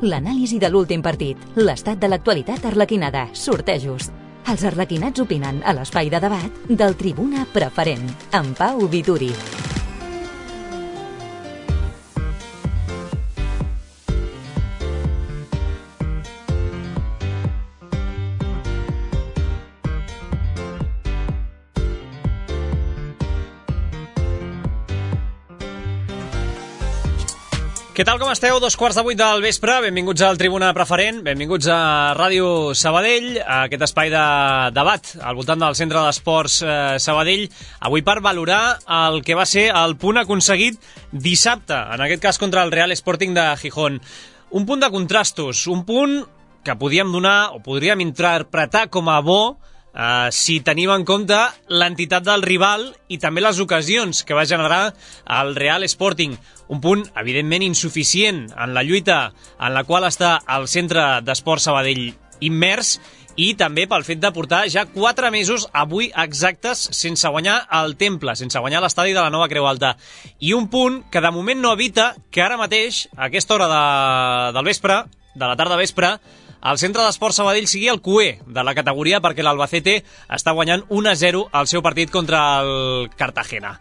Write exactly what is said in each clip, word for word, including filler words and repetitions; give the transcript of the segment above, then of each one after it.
l'anàlisi de l'últim partit, l'estat de l'actualitat arlequinada, sortejos. Els arlequinats opinen a l'espai de debat del Tribuna Preferent, amb Pau Vituri. Què tal, com esteu? Dos quarts de vuit del vespre, benvinguts al Tribuna Preferent, benvinguts a Ràdio Sabadell, a aquest espai de debat al voltant del Centre d'Esports eh, Sabadell, avui per valorar el que va ser el punt aconseguit dissabte, en aquest cas contra el Real Sporting de Gijón. Un punt de contrastos, un punt que podíem donar o podríem interpretar com a bo Uh, si tenim en compte l'entitat del rival i també les ocasions que va generar el Real Sporting. Un punt, evidentment, insuficient en la lluita en la qual està el Centre d'Esports Sabadell immers i també pel fet de portar ja quatre mesos avui exactes sense guanyar el Temple, sense guanyar l'estadi de la Nova Creu Alta. I un punt que de moment no evita que ara mateix, a aquesta hora de, del vespre, de la tarda vespre, el Centre d'Esports Sabadell sigui el Q E de la categoria perquè l'Albacete està guanyant un a zero el seu partit contra el Cartagena.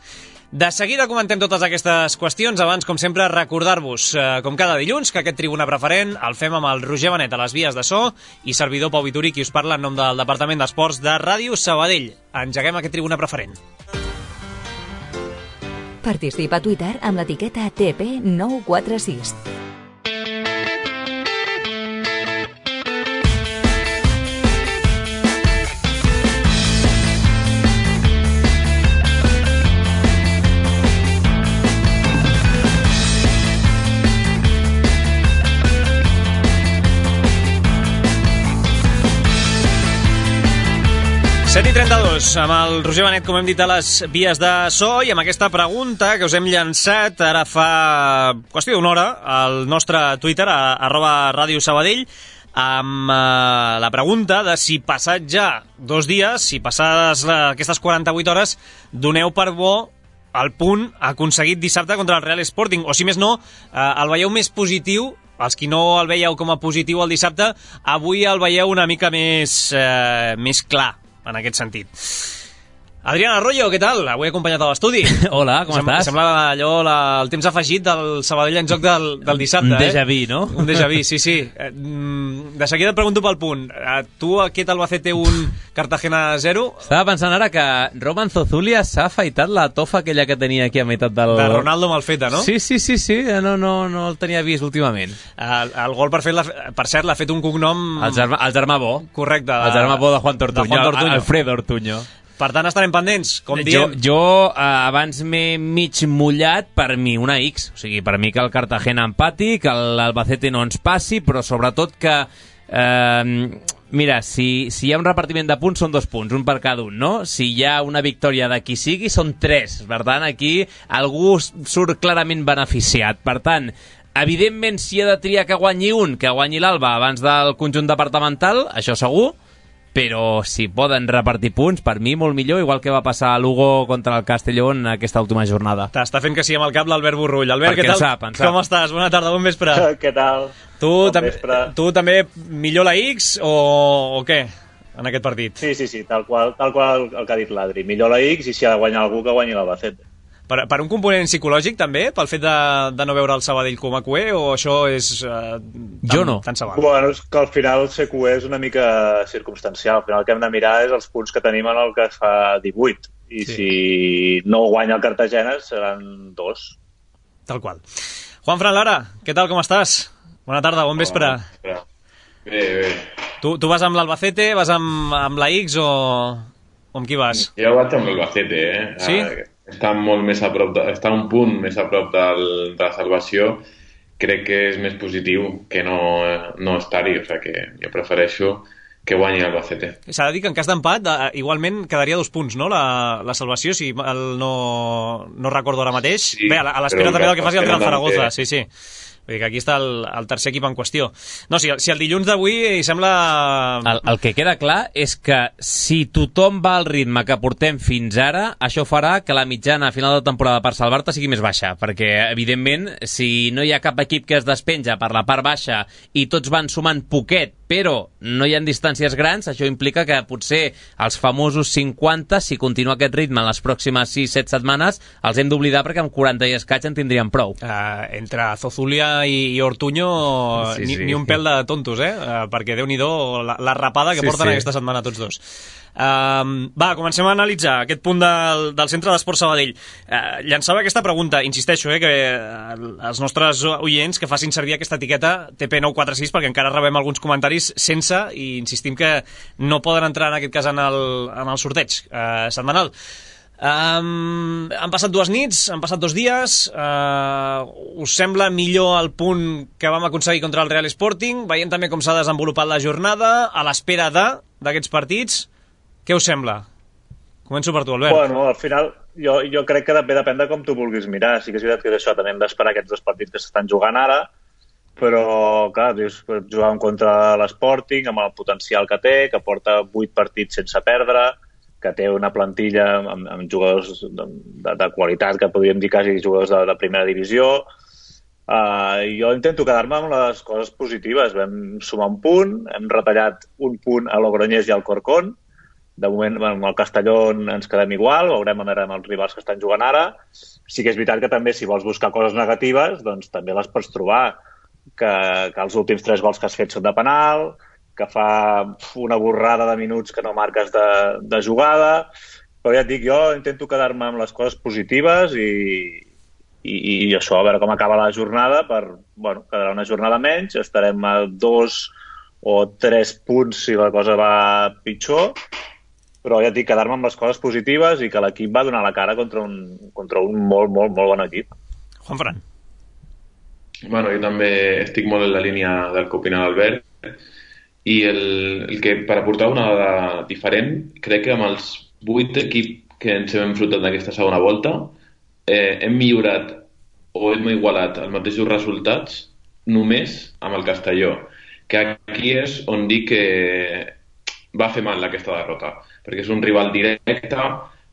De seguida comentem totes aquestes qüestions. Abans, com sempre, recordar-vos, eh, com cada dilluns, que aquest Tribuna Preferent el fem amb el Roger Benet a les vies de so i servidor Pau Vituri, qui us parla en nom del Departament d'Esports de Ràdio Sabadell. Engeguem aquest Tribuna Preferent. Participa a Twitter amb l'etiqueta T P nou quatre sis. set i trenta-dos, amb el Roger Benet, com hem dit, a les vies de so, i amb aquesta pregunta que us hem llançat ara fa qüestió d'una hora al nostre Twitter, a, arroba Ràdio Sabadell, amb eh, la pregunta de si passat ja dos dies, si passades la, aquestes quaranta-vuit hores, doneu per bo el punt aconseguit dissabte contra el Real Sporting, o si més no, eh, el veieu més positiu. Els qui no el veieu com a positiu el dissabte, avui el veieu una mica més, eh, més clar en aquest sentit. Adrián Arroyo, què tal? Avui acompanyat a l'estudi. Hola, com Sem estàs? Sembla allò la, el temps afegit del Sabadell en joc del, del dissabte. Un déjà vu, eh? no? Un déjà vu, sí, sí. De seguida et pregunto pel punt. Tu, aquest Albacete un, Cartagena zero? Estava pensant ara que Roman Zozulia s'ha afaitat la tofa aquella que tenia aquí a meitat del... De Ronaldo malfeta, no? Sí, sí, sí, sí. No, no, no el tenia vist últimament. El, el gol, per, fet, per cert, l'ha fet un cognom... El germà, el germà bo. Correcte. De, el germà bo de Juan Tortuño. De Juan Tortuño. Alfredo Ortuño. Per tant, estarem pendents, com jo, diem. Jo eh, abans m'he mig mullat, per mi una X. O sigui, per mi que el Cartagena empati, que l'Albacete no ens passi, però sobretot que... Eh, mira, si, si hi ha un repartiment de punts, són dos punts, un per cada un, no? Si hi ha una victòria de qui sigui, són tres. Per tant, aquí algú surt clarament beneficiat. Per tant, evidentment, si ha de triar que guanyi un, que guanyi l'Alba abans del conjunt departamental, això segur, però si poden repartir punts, per mi molt millor, igual que va passar a Lugo contra el Castelló en aquesta última jornada. T'està fent que sí amb el cap l'Albert Borrull. Albert, perquè què tal? Sap, sap. Com estàs? Bona tarda, bon vespre. Què tal? Tu, bon tam vespre. tu també millor la X o, o què en aquest partit? Sí, sí, sí, tal qual, tal qual el que ha dit l'Adri. Millor la X i si ha de guanyar algú que guanyi l'Albacete. Per, per un component psicològic també, pel fet de, de no veure el Sabadell com a Q E, o això és eh, tan, jo no. tan sabal? Bueno, és que al final ser Q E és una mica circumstancial. Al final el que hem de mirar és els punts que tenim en el que es fa divuit. I sí. Si no guanya el Cartagena seran dos. Tal qual. Juanfran Lara, què tal, com estàs? Bona tarda, bon vespre. Bé, bé. Tu, tu vas amb l'Albacete, vas amb, amb la X o, o amb qui vas? Jo vaig amb l'Albacete, eh? Sí? Ah, està molt més a prop de, està un punt més a prop del, de la salvació. Crec que és més positiu que no, no estar-hi, o sigui que jo prefereixo que guanyi l'Albacete. S'ha de dir que en cas d'empat igualment quedaria dos punts, no? La, la salvació, si el no, no recordo ara mateix. Sí, bé, a l'espera també del que faci el Real Zaragoza, té... sí, sí. Vull dir que aquí està el, el tercer equip en qüestió. No, si, si el dilluns d'avui sembla... El, el que queda clar és que si tothom va al ritme que portem fins ara, això farà que la mitjana a final de temporada per salvar-te sigui més baixa, perquè, evidentment, si no hi ha cap equip que es despenja per la part baixa i tots van sumant poquet, però no hi ha distàncies grans, això implica que potser els famosos cinquanta, si continua aquest ritme en les pròximes sis set setmanes, els hem d'oblidar perquè amb quaranta i escaig en tindríem prou. Uh, entre Zozulia i, i Ortuño sí, ni, sí. ni un pèl de tontos, eh? Uh, perquè Déu-n'hi-do la, la rapada que sí, porten sí. aquesta setmana tots dos. Uh, va, comencem a analitzar aquest punt del, del Centre d'Esport Sabadell. Uh, llançava aquesta pregunta, insisteixo, eh, que uh, els nostres oients que facin servir aquesta etiqueta T P nou quatre sis perquè encara rebem alguns comentaris sense, i insistim que no poden entrar en aquest cas en el, en el sorteig uh, setmanal. Um, han passat dues nits, han passat dos dies. Uh, us sembla millor el punt que vam aconseguir contra el Real Sporting? Veiem també com s'ha desenvolupat la jornada a l'espera de d'aquests partits. Què us sembla? Començo per tu, Albert. Bueno, al final jo, jo crec que també depèn de com tu vulguis mirar. Sí que és veritat que això també hem d'esperar aquests dos partits que s'estan jugant ara, però clar, dius, jugàvem contra l'Sporting amb el potencial que té, que porta vuit partits sense perdre, que té una plantilla amb, amb jugadors de, de, de qualitat, que podríem dir quasi jugadors de, de primera divisió. Uh, jo intento quedar-me amb les coses positives. Vam sumar un punt, hem retallat un punt a Logroñés i al Corcón. De moment, amb el Castelló ens quedem igual, veurem on eren els rivals que estan jugant ara. Sí que és veritat que també, si vols buscar coses negatives, doncs també les pots trobar. Que, que els últims tres gols que has fet són de penal, que fa una borrada de minuts que no marques de, de jugada, però ja et dic, jo intento quedar-me amb les coses positives i, i, i això, a veure com acaba la jornada, per, bueno, quedarà una jornada menys, estarem a dos o tres punts si la cosa va pitjor, però ja et dic, quedar-me amb les coses positives i que l'equip va donar la cara contra un, contra un molt, molt, molt bon equip. Juanfran. Bueno, jo també estic molt en la línia del que opina l'Albert, i el, el que per aportar una dada diferent, crec que amb els vuit equips que ens hem enfrontat en aquesta segona volta eh, hem millorat o hem igualat els mateixos resultats només amb el Castelló, que aquí és on dic que va fer mal aquesta derrota, perquè és un rival directe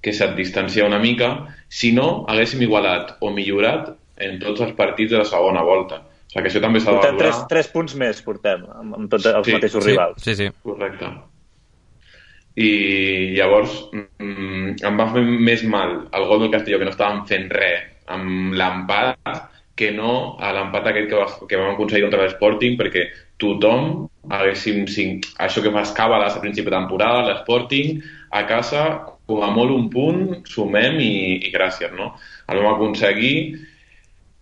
que se't distancia una mica. Si no, haguéssim igualat o millorat en tots els partits de la segona volta. O sigui que això també s'ha de valorar. Tres, tres punts més portem, amb, amb tots els sí, mateixos sí, rivals. Sí, sí. Correcte. I llavors mm, em va fer més mal el gol del Castelló, que no estàvem fent res amb l'empat, que no a l'empat aquest que, va, que vam aconseguir contra l'Sporting, perquè tothom haguéssim cinc, això que fas càbales a principi de temporada, l'Sporting, a casa, com a molt un punt, sumem i, i gràcies, no? El vam aconseguir.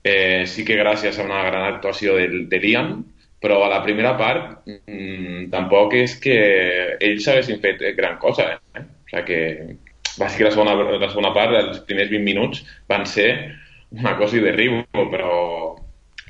Eh, sí que gràcies a una gran actuació de, de Liam, però a la primera part mmm, tampoc és que ells haguessin fet gran cosa. Eh? O sigui que va ser que la segona, la segona part, els primers vint minuts, van ser una cosa de riu, però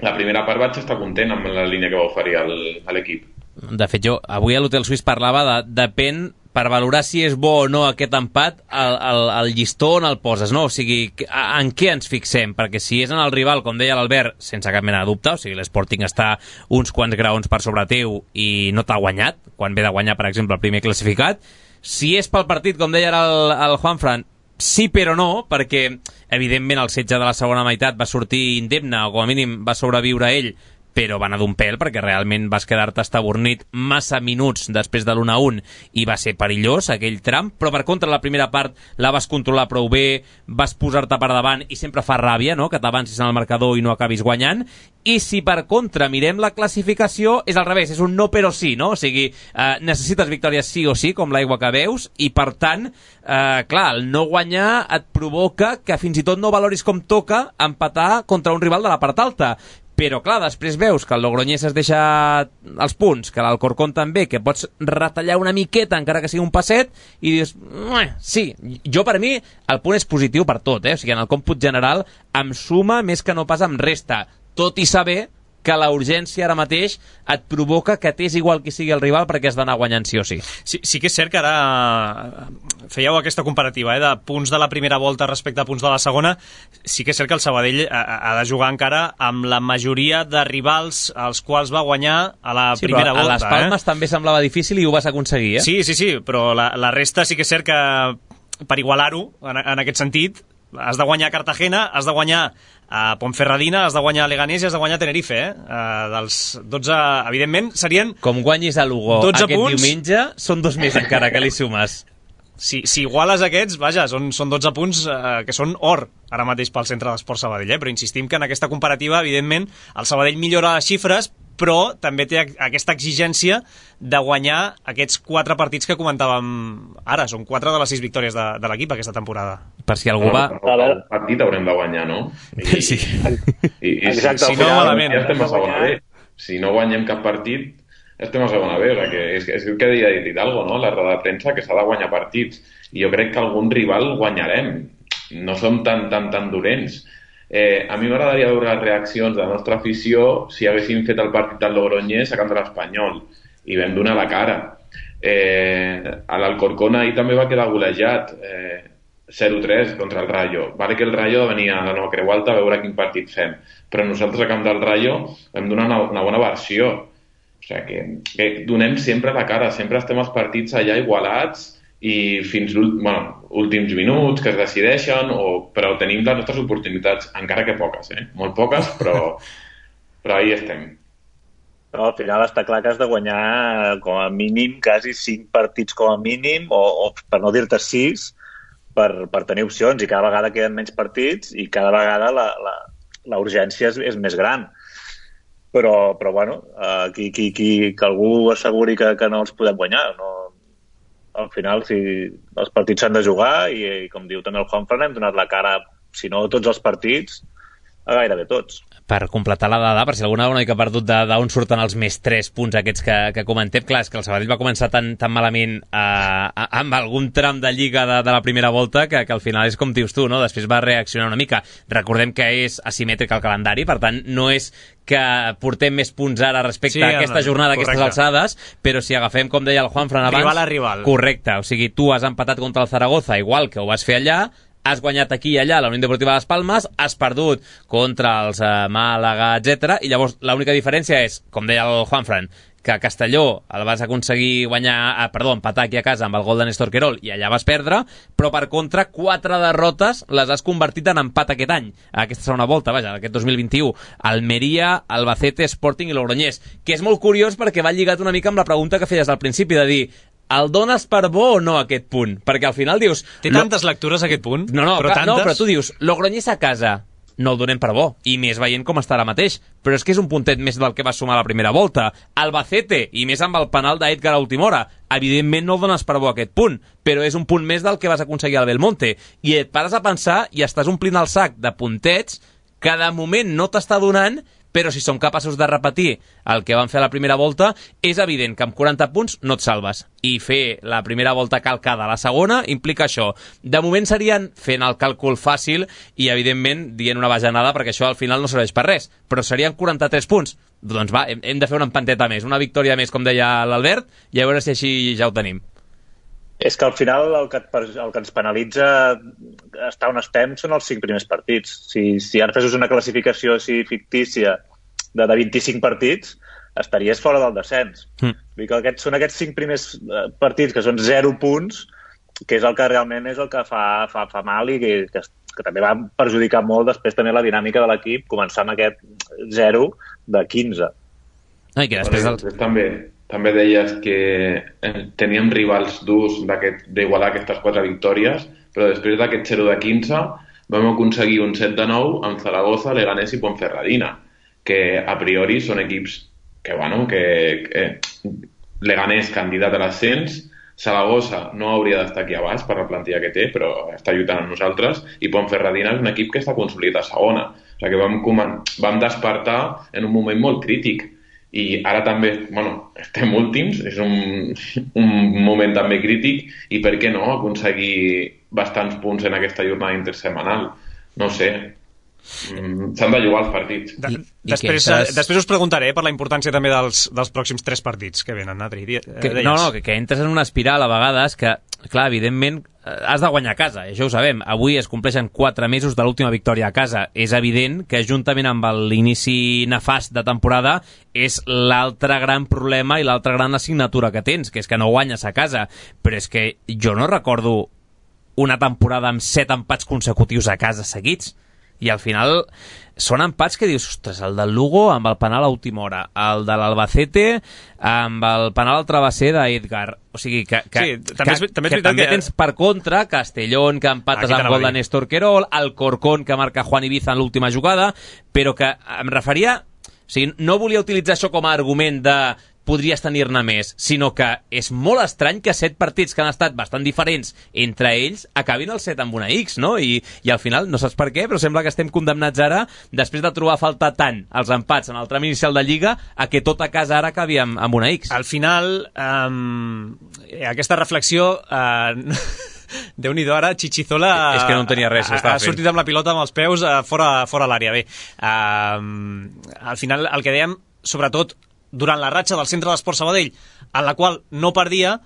la primera part vaig estar content amb la línia que va oferir el, a l'equip. De fet, jo avui a l'Hotel Suís parlava de depèn, per valorar si és bo o no aquest empat, el, el, el llistó on el poses, no? O sigui, en què ens fixem? Perquè si és en el rival, com deia l'Albert, sense cap mena de dubte, o sigui, l'Sporting està uns quants graons per sobre teu i no t'ha guanyat, quan ve de guanyar, per exemple, el primer classificat. Si és pel partit, com deia el, el Juanfran, sí però no, perquè evidentment el setge de la segona meitat va sortir indemne, o com a mínim va sobreviure ell, però va anar d'un pèl, perquè realment vas quedar-te estabornit massa minuts després de l'u a un i va ser perillós aquell tram, però per contra la primera part la vas controlar prou bé, vas posar-te per davant i sempre fa ràbia, no?, que t'avancis en el marcador i no acabis guanyant. I si per contra mirem la classificació, és al revés, és un no però sí, no? O sigui, eh, necessites victòries sí o sí, com l'aigua que veus, i per tant, eh, clar, el no guanyar et provoca que fins i tot no valoris com toca empatar contra un rival de la part alta. Però, clar, després veus que el Logroñés es deixa els punts, que l'Alcorcón també, que pots retallar una miqueta, encara que sigui un passet, i dius, sí, jo per mi el punt és positiu per tot, eh? O sigui, en el còmput general em suma més que no pas em resta, tot i saber que la urgència ara mateix et provoca que t'és igual qui sigui el rival perquè has d'anar guanyant sí o sí. Sí, sí que és cert que ara fèieu aquesta comparativa, eh, de punts de la primera volta respecte a punts de la segona. Sí que és cert que el Sabadell ha, ha de jugar encara amb la majoria de rivals als quals va guanyar a la sí, primera volta. volta. A les Palmes eh? també semblava difícil i ho vas aconseguir, eh? Sí, sí, sí, però la, la resta sí que és cert que per igualar-ho, en, en aquest sentit, has de guanyar Cartagena, has de guanyar a Ponferradina, has de guanyar Leganés i has de guanyar Tenerife, eh? Uh, dels dotze, evidentment, serien... Com guanyis a Lugo aquest punts. Diumenge, són dos més encara que li sumes. Si, si iguales aquests, vaja, són, són dotze punts eh, que són or ara mateix pel Centre d'Esport Sabadell, eh? Però insistim que en aquesta comparativa, evidentment, el Sabadell millora les xifres, però també té aquesta exigència de guanyar aquests quatre partits que comentàvem ara. Són quatre de les sis victòries de, de l'equip aquesta temporada. Per si algú va... El partit haurem de guanyar, no? I, sí. I, i Exacte, si, si no, malament. Ja estem a segona B. Si no guanyem cap partit, estem a segona B. O sigui, que és, és el que deia Hidalgo, no? La roda de premsa, que s'ha de guanyar partits. I jo crec que algun rival guanyarem. No som tan, tan, tan dolents. Eh, a mi m'agradaria veure les reaccions de la nostra afició si haguéssim fet el partit del Logroñés a camp de l'Espanyol i vam donar la cara. Eh, a l'Alcorcón ahir també va quedar golejat, eh, zero tres contra el Rayo. Vale que el Rayo venia a la Nova Creu Alta a veure quin partit fem, però nosaltres a camp del Rayo vam donar una, una bona versió. O sigui que, que donem sempre la cara, sempre estem els partits allà igualats i fins bueno, últims minuts que es decideixen, o, però tenim les nostres oportunitats, encara que poques, eh? Molt poques, però, però ahí estem. Però al final està clar que has de guanyar com a mínim quasi cinc partits com a mínim, o, o per no dir-te sis, per, per tenir opcions, i cada vegada queden menys partits i cada vegada la, la, la urgència és, és més gran. Però, però bueno, uh, qui, qui, qui, que algú asseguri que, que no els podem guanyar, no. Al final, si els partits s'han de jugar i, i com diu també el Juanfran, hem donat la cara, si no tots els partits, a gairebé tots. Per completar la dada, per si alguna una mica perdut d'on surten els més tres punts aquests que, que comentem, clar, és que el Sabadell va començar tan, tan malament eh, amb algun tram de lliga de, de la primera volta que, que al final és com dius tu, no? Després va reaccionar una mica. Recordem que és asimètric el calendari, per tant, no és que portem més punts ara respecte sí, a aquesta jornada, a aquestes alçades, però si agafem, com deia el Juanfran abans... Rival a rival. Correcte, o sigui, tu has empatat contra el Zaragoza, igual que ho vas fer allà, has guanyat aquí i allà la Unió Deportiva de les Palmes, has perdut contra els eh, Màlaga, etcètera, i llavors l'única diferència és, com deia el Juanfran, que a Castelló el vas aconseguir guanyar, eh, perdó, empatar aquí a casa amb el gol de Néstor Querol i allà vas perdre, però per contra quatre derrotes les has convertit en empat aquest any, aquesta segona volta, vaja, aquest dos mil vint-i-u, Almeria, Albacete, Sporting i Logroñés, que és molt curiós perquè va lligat una mica amb la pregunta que feies al principi, de dir, el dones per bo o no aquest punt? Perquè al final dius... Té tantes lo... lectures aquest punt? No, no, però, clar, tantes... no, però tu dius, Logroñés a casa, no el donem per bo, i més veient com està ara mateix, però és que és un puntet més del que va sumar la primera volta. Albacete, i més amb el penal d'Edgar a última hora, evidentment no el dones per bo aquest punt, però és un punt més del que vas aconseguir al Belmonte, i et pares a pensar i estàs omplint el sac de puntets que de moment no t'està donant, però si som capaços de repetir el que van fer a la primera volta, és evident que amb quaranta punts no et salves. I fer la primera volta calcada a la segona implica això. De moment serien fent el càlcul fàcil i, evidentment, dient una bajanada, perquè això al final no serveix per res, però serien quaranta-tres punts. Doncs va, hem, hem de fer una empanteta més, una victòria més, com deia l'Albert, i a veure si així ja ho tenim. És que al final el que, el que ens penalitza estar on estem són els cinc primers partits. Si, si ara fessis una classificació així fictícia de, de vint-i-cinc partits, estaries fora del descens. Mm. Vull dir que aquests, són aquests cinc primers partits que són zero punts, que és el que realment és el que fa, fa, fa mal i que, que, que també va perjudicar molt després també la dinàmica de l'equip, començar amb aquest zero de quinze. Ai, que després el... també... També deies que teníem rivals durs d'igualar aquestes quatre victòries, però després d'aquest zero de quinze vam aconseguir un set de nou amb Zaragoza, Leganés i Ponferradina, que a priori són equips que, bueno, que, que Leganés candidat a l'ascens, Zaragoza no hauria d'estar aquí a baix per la plantilla que té, però està lluitant amb nosaltres, i Ponferradina és un equip que està consolidat a segona. O sigui que vam, vam despertar en un moment molt crític. I ara també, bueno, estem últims, és un, un moment també crític, i per què no aconseguir bastants punts en aquesta jornada intersemanal? No sé. mm, s'han de jugar els partits. De, I, després, i estàs... després us preguntaré per la importància també dels, dels pròxims tres partits que venen, Adri. Que, no, no, que, que entres en una espiral a vegades que, clar, evidentment, has de guanyar a casa, això ho sabem. Avui es compleixen quatre mesos de l'última victòria a casa. És evident que, juntament amb l'inici nefast de temporada, és l'altre gran problema i l'altra gran assignatura que tens, que és que no guanyes a casa. Però és que jo no recordo una temporada amb set empats consecutius a casa seguits. I al final són empats que dius, ostres, el del Lugo amb el penal a última hora, el de l'Albacete amb el penal al travesser d'Edgar. O sigui, que, que, sí, també és, que, també, és que també que... tens per contra Castellón, que empates amb gol de Néstor Querol, el Corcón, que marca Juan Ibiza en l'última jugada, però que em referia... O sigui, no volia utilitzar això com a argument de podries tenir-ne més, sinó que és molt estrany que set partits que han estat bastant diferents entre ells acabin el set amb una X, no? I, i al final, no saps per què, però sembla que estem condemnats ara, després de trobar a faltar tant els empats en el tram inicial de Lliga, a que tota casa ara acabi amb, amb una X. Al final, um, aquesta reflexió... Uh, Déu-n'hi-do ara, Chichizola és que no en tenia res, ha, ha sortit amb la pilota amb els peus uh, fora, fora l'àrea. Bé, uh, al final el que dèiem, sobretot durant la ratxa del Centre d'Esport Sabadell, en la qual no perdia,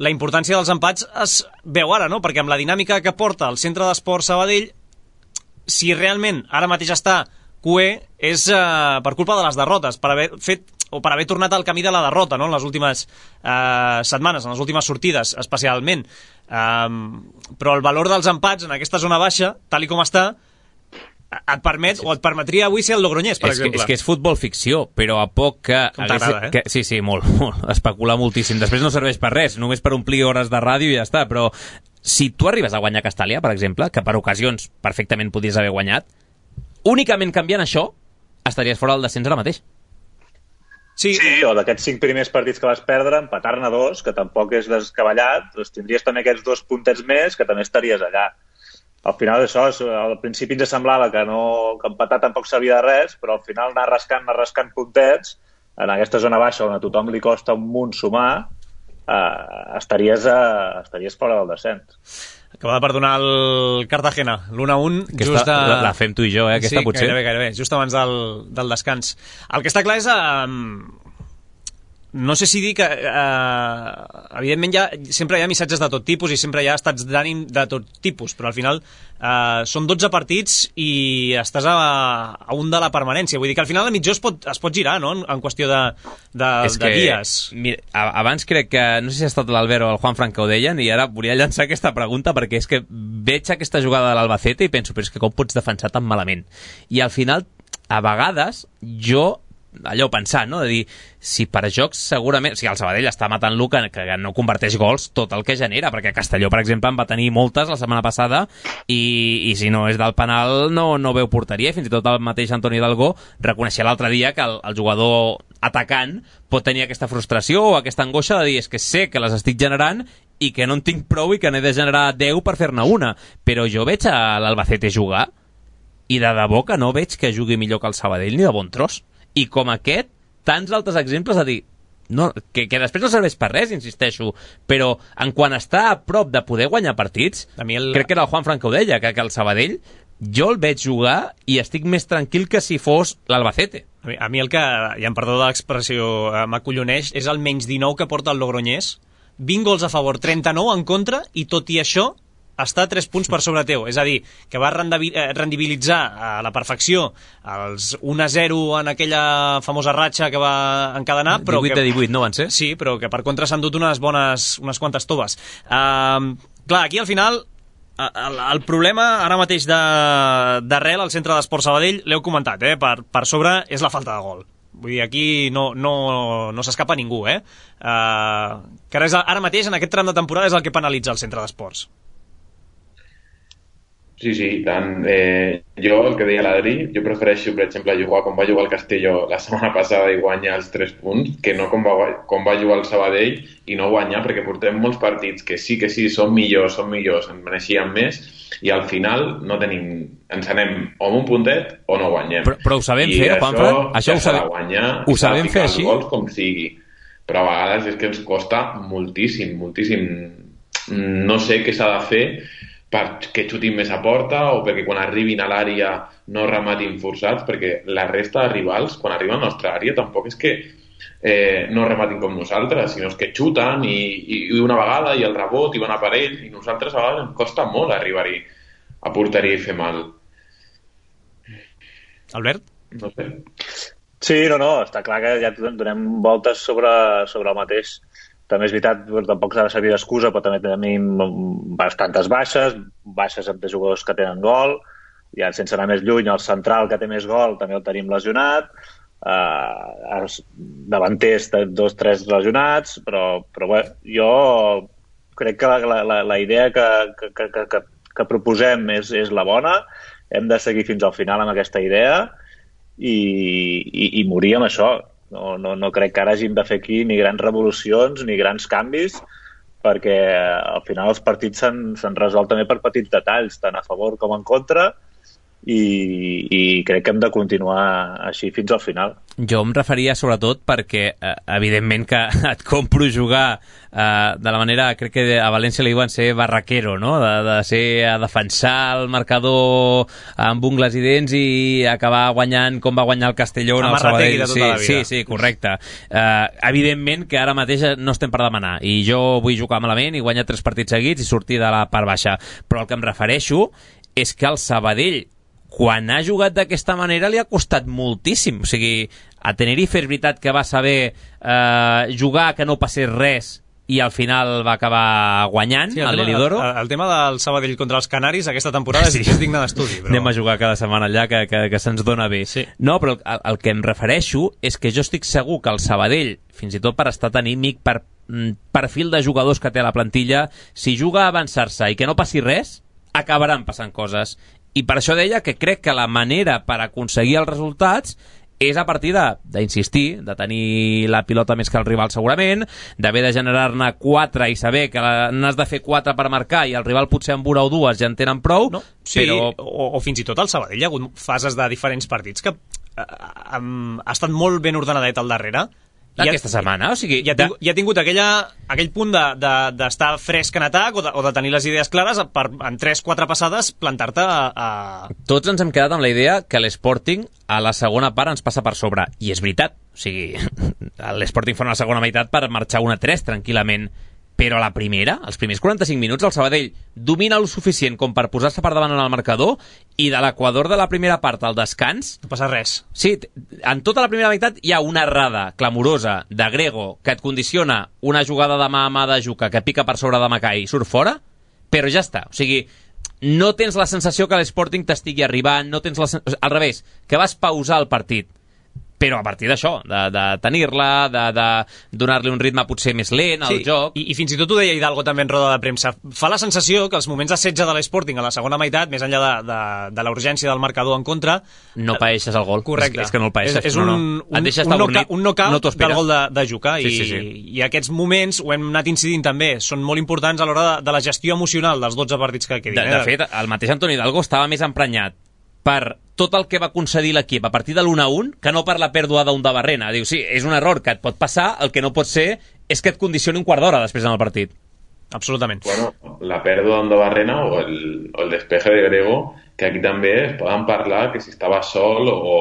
la importància dels empats es veu ara, no? Perquè amb la dinàmica que porta el Centre d'Esport Sabadell, si realment ara mateix està cué, és uh, per culpa de les derrotes, per haver fet o per haver tornat al camí de la derrota, no? En les últimes eh, setmanes, en les últimes sortides, especialment. Um, però el valor dels empats en aquesta zona baixa, tal i com està, et permet, o et permetria avui ser el Logroñés, per és exemple. Que, és que és futbol ficció, però a poc que... Com t'agrada, eh? Que, sí, sí, molt, molt. Especular moltíssim. Després no serveix per res, només per omplir hores de ràdio i ja està, però si tu arribes a guanyar Castàlia, per exemple, que per ocasions perfectament podries haver guanyat, únicament canviant això, estaries fora del descens ara mateix. Sí, sí, o d'aquests cinc primers partits que vas perdre, empatar-ne dos, que tampoc és descabellat, doncs tindries també aquests dos puntets més, que també estaries allà. Al final això, al principi ens semblava que, no, que empatar tampoc sabia de res, però al final anar rascant, anar rascant puntets, en aquesta zona baixa on a tothom li costa un munt sumar, eh, estaries, eh, estaries fora del descens. Acaba de perdonar el Cartagena, l'u a un, just a... a... La fem tu i jo, eh, aquesta sí, potser. Sí, gairebé, gairebé, just abans del, del descans. El que està clar és... Eh, no sé si dir que eh, evidentment ja, sempre hi ha missatges de tot tipus i sempre hi ha estats d'ànim de tot tipus, però al final eh, són dotze partits i estàs a, a un de la permanència, vull dir que al final el mitjó es pot, es pot girar, no?, en, en qüestió de, de, de que, dies. Mira, abans crec que, no sé si ha estat l'Albert o el Juan Franco ho deien, i ara volia llançar aquesta pregunta perquè és que veig aquesta jugada de l'Albacete i penso, però és que com pots defensar tan malament? I al final, a vegades, jo allò pensant, no? De dir, si per jocs segurament... O sigui, el Sabadell està matant-lo que, que no converteix gols tot el que genera, perquè Castelló, per exemple, en va tenir moltes la setmana passada i, i si no és del penal no, no veu porteria. Fins i tot el mateix Antoni Dalgó reconeixia l'altre dia que el, el jugador atacant pot tenir aquesta frustració o aquesta angoixa de dir, és que sé que les estic generant i que no en tinc prou i que n'he de generar deu per fer-ne una. Però jo veig a l'Albacete jugar i de debò que no veig que jugui millor que el Sabadell ni de bon tros. I com aquest, tants altres exemples a dir, no, que, que després no serveix per res, insisteixo, però en quan està a prop de poder guanyar partits, a mi el... crec que era el Juan Franco ho deia, que, que el Sabadell jo el veig jugar i estic més tranquil que si fos l'Albacete. A mi, a mi el que, ja em perdó de l'expressió, eh, m'acolloneix, és el menys dinou que porta el Logroñés, vint gols a favor, trenta-nou en contra, i tot i això està a tres punts per sobre teu. És a dir, que va rendibilitzar a la perfecció els un a zero en aquella famosa ratxa que va encadenar. Però divuit que, de divuit, no van ser? Sí, però que per contra s'han dut unes bones, unes quantes toves. Uh, clar, aquí al final el, el problema ara mateix d'arrel al Centre d'Esport Sabadell, l'heu comentat, eh? per, per sobre és la falta de gol. Vull dir, aquí no, no, no s'escapa ningú, eh? Uh, que ara, és, ara mateix, en aquest tram de temporada, és el que penalitza el Centre d'Esports. Sí, sí, tant. Eh, jo, el que deia l'Adri, jo prefereixo, per exemple, jugar com va jugar el Castelló la setmana passada i guanyar els tres punts, que no com va, com va jugar el Sabadell i no guanyar, perquè portem molts partits que sí, que sí, són millors, són millors, en mereixíem més, i al final no tenim, ens anem o amb un puntet o no guanyem. Però, però ho sabem I fer, Juanfran? Això Això ho sabem, guanyar, ho sabem fer així? Gols com sigui. Però a vegades és que ens costa moltíssim, moltíssim. No sé què s'ha de fer perquè xutin més a porta o perquè quan arribin a l'àrea no rematin forçats, perquè la resta de rivals, quan arriben a la nostra àrea, tampoc és que eh, no rematin com nosaltres, sinó que xuten i, i, i una vegada i el rebot i van a per ell, i nosaltres a vegades ens costa molt arribar-hi a porteria i fer mal. Albert? No sé. Sí, no, no, està clar que ja donem voltes sobre, sobre el mateix. També és veritat, tampoc s'ha de servir d'excusa, però també tenim bastantes baixes, baixes de jugadors que tenen gol, ja sense anar més lluny, el central que té més gol també el tenim lesionat, eh, els davanters dos, tres lesionats, però, però bé, jo crec que la, la, la idea que, que, que, que, que proposem és, és la bona, hem de seguir fins al final amb aquesta idea i, i, i morir amb això. No, no, no crec que ara hàgim de fer aquí ni grans revolucions ni grans canvis, perquè al final els partits s'han resolt també per petits detalls, tant a favor com en contra, i, i crec que hem de continuar així fins al final. Jo em referia sobretot perquè, eh, evidentment, que et compro jugar eh, de la manera, crec que a València li diuen ser barraquero, no? De, de ser a defensar el marcador amb ungles i dents i acabar guanyant com va guanyar el Castelló en el Sabadell. De tota la vida. Sí, sí, correcte. Eh, evidentment que ara mateix no estem per demanar, i jo vull jugar malament i guanyar tres partits seguits i sortir de la part baixa, però el que em refereixo és que el Sabadell, quan ha jugat d'aquesta manera, li ha costat moltíssim. O sigui, a Tenerife és veritat que va saber eh, jugar, que no passés res, i al final va acabar guanyant, sí, el l'Elidoro. El, el tema del Sabadell contra els Canaris aquesta temporada sí. és, és digne d'estudi. Però... Anem a jugar cada setmana allà, que, que, que se'ns dona bé. Sí. No, però el, el que em refereixo és que jo estic segur que el Sabadell, fins i tot per estat anímic, per mm, perfil de jugadors que té a la plantilla, si juga a avançar-se i que no passi res, acabaran passant coses. I per això deia que crec que la manera per aconseguir els resultats és a partir d'insistir, de, de tenir la pilota més que el rival segurament, d'haver de generar-ne quatre i saber que n'has de fer quatre per marcar i el rival potser amb una o dues ja en tenen prou. No, sí, però... o, o fins i tot al Sabadell hi ha hagut fases de diferents partits que eh, um, ha estat molt ben ordenadet al darrere. Aquesta setmana, o sigui... I ha tingut, i ha tingut aquella, aquell punt d'estar de, de, fresc en atac o de, o de tenir les idees clares per en tres quatre passades plantar-te a, a... Tots ens hem quedat amb la idea que l'Sporting a la segona part ens passa per sobre, i és veritat, o sigui, l'Sporting fa una segona meitat per marxar una tres tranquil·lament, però a la primera, els primers quaranta-cinc minuts, el Sabadell domina el suficient com per posar-se per davant en el marcador, i de l'equador de la primera part al descans... No passa res. Sí, en tota la primera meitat hi ha una errada clamorosa de Grego que et condiciona una jugada de mà a mà de Juca que pica per sobre de Macai i surt fora, però ja està. O sigui, no tens la sensació que l'Sporting t'estigui arribant, no tens la sen... al revés, que vas pausar el partit. Però a partir d'això, de, de tenir-la, de, de donar-li un ritme potser més lent al sí, joc... I, i fins i tot ho deia Hidalgo també en roda de premsa. Fa la sensació que els moments de setge de l'Sporting a la segona meitat, més enllà de, de, de la urgència del marcador en contra... No paeixes el gol. Correcte. És, és que no el paeixes. És, és un, no, no. un, un, knockout, un knockout no del gol de, de Juca. Sí, i, sí, sí. I aquests moments, ho hem anat incidint també, són molt importants a l'hora de, de la gestió emocional dels dotze partits que quedin. De, de fet, el mateix Antoni Hidalgo estava més emprenyat per tot el que va concedir l'equip a partir de l'u a un que no per la pèrdua d'un de Barrena. Diu, sí, és un error que et pot passar, el que no pot ser és que et condicioni un quart d'hora després en el partit. Absolutament. Bueno, la pèrdua d'un de Barrena o el, o el despeje de Grego, que aquí també es poden parlar que si estava sol o,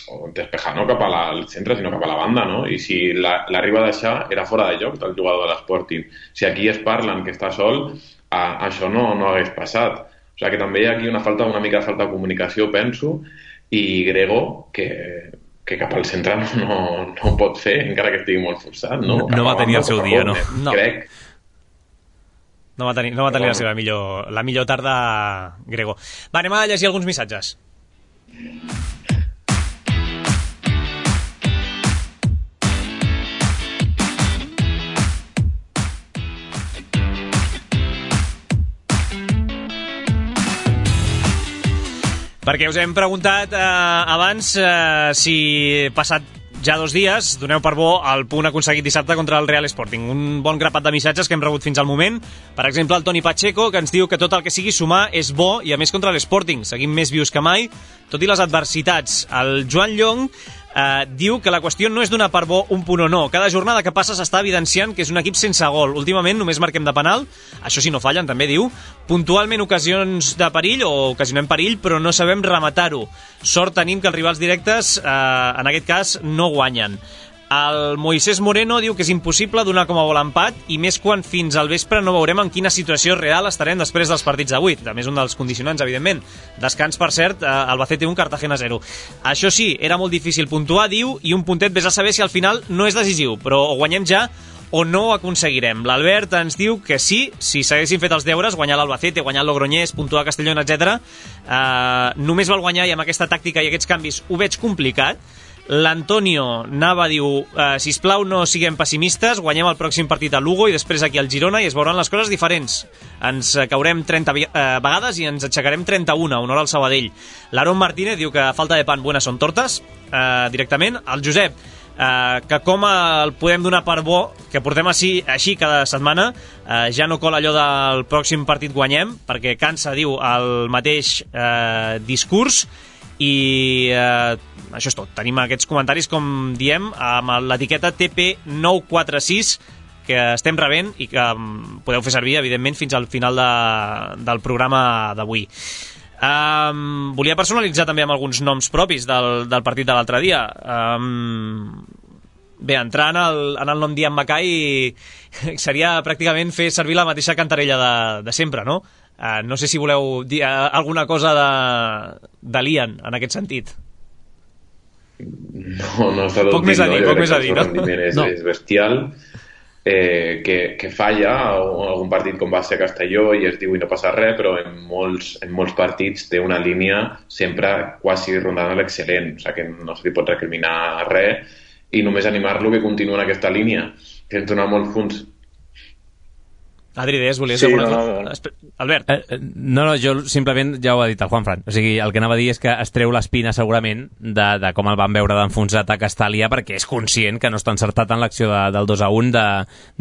o despejar no cap al centre sinó cap a la banda, no? I si l'arriba la, a deixar era fora de lloc del jugador de l'Sporting. Si aquí es parlen que està sol, a, això no, no hagués passat. O sigui que també hi ha aquí una falta, una mica de falta de comunicació, penso, i Grego, que, que cap al centre no, no, no pot fer, encara que estigui molt forçat, no? No, no va tenir el seu dia, no. no. Crec. No va tenir, no va tenir la seva millor, la millor tarda, Grego. Va, anem a llegir alguns missatges. Perquè us hem preguntat eh, abans eh, si passat ja dos dies doneu per bo el punt aconseguit dissabte contra el Real Sporting. Un bon grapat de missatges que hem rebut fins al moment. Per exemple, el Toni Pacheco, que ens diu que tot el que sigui sumar és bo i a més contra l'Sporting. Seguim més vius que mai, tot i les adversitats. El Joan Llong Uh, diu que la qüestió no és donar per bo un punt o no. Cada jornada que passa s'està evidenciant que és un equip sense gol. Últimament només marquem de penal, això sí no fallen, també diu. Puntualment ocasions de perill o ocasionem perill, però no sabem rematar-ho. Sort tenim que els rivals directes, uh, en aquest cas, no guanyen. El Moisés Moreno diu que és impossible donar com a bo l'empat i més quan fins al vespre no veurem en quina situació real estarem després dels partits d'avui. A més, un dels condicionants, evidentment. Descans, per cert, Albacete un, Cartagena zero. Això sí, era molt difícil puntuar, diu, i un puntet vés a saber si al final no és decisiu, però o guanyem ja o no ho aconseguirem. L'Albert ens diu que sí, si s'haguessin fet els deures, guanyar l'Albacete, guanyar el Logroñés, puntuar Castellón, etcètera. Uh, només val guanyar i amb aquesta tàctica i aquests canvis ho veig complicat. L'Antonio Nava diu eh, sisplau no siguem pessimistes, guanyem el pròxim partit a Lugo i després aquí al Girona i es veuran les coses diferents. Ens caurem trenta eh, vegades i ens aixecarem trenta-una, honor al Sabadell. L'Aaron Martínez diu que a falta de pan buenas son tortes, eh, directament. El Josep, eh, que com el podem donar per bo, que portem així, així cada setmana, eh, ja no cola allò del pròxim partit guanyem, perquè cansa, diu, el mateix eh, discurs. I eh, això és tot. Tenim aquests comentaris, com diem, amb l'etiqueta T P nou quatre sis que estem rebent i que um, podeu fer servir, evidentment, fins al final de, del programa d'avui. Um, volia personalitzar també amb alguns noms propis del, del partit de l'altre dia. Um, bé, entrar en el, en el nom d'Ian Mackay seria pràcticament fer servir la mateixa cantarella de, de sempre, no? Uh, no sé si voleu dir uh, alguna cosa de, de l'Ian en aquest sentit. No, no està tot poc més a dir, no? poc més a dir, no? És, no. és bestial, eh, que, que falla algun partit com va ser a Castelló i es diu i no passa res, però en molts, en molts partits té una línia sempre quasi rondant l'excel·lent, o sigui que no se li pot recriminar res i només animar-lo que continua en aquesta línia, que ens dona molts punts. Adri, deies, volies sí, alguna no, cosa? no. Albert. Eh, no, no, jo simplement ja ho ha dit el Juanfran. O sigui, el que anava a dir és que es treu l'espina segurament de, de com el van veure d'enfonsat a Castàlia perquè és conscient que no està encertat en l'acció de, del dos a un de,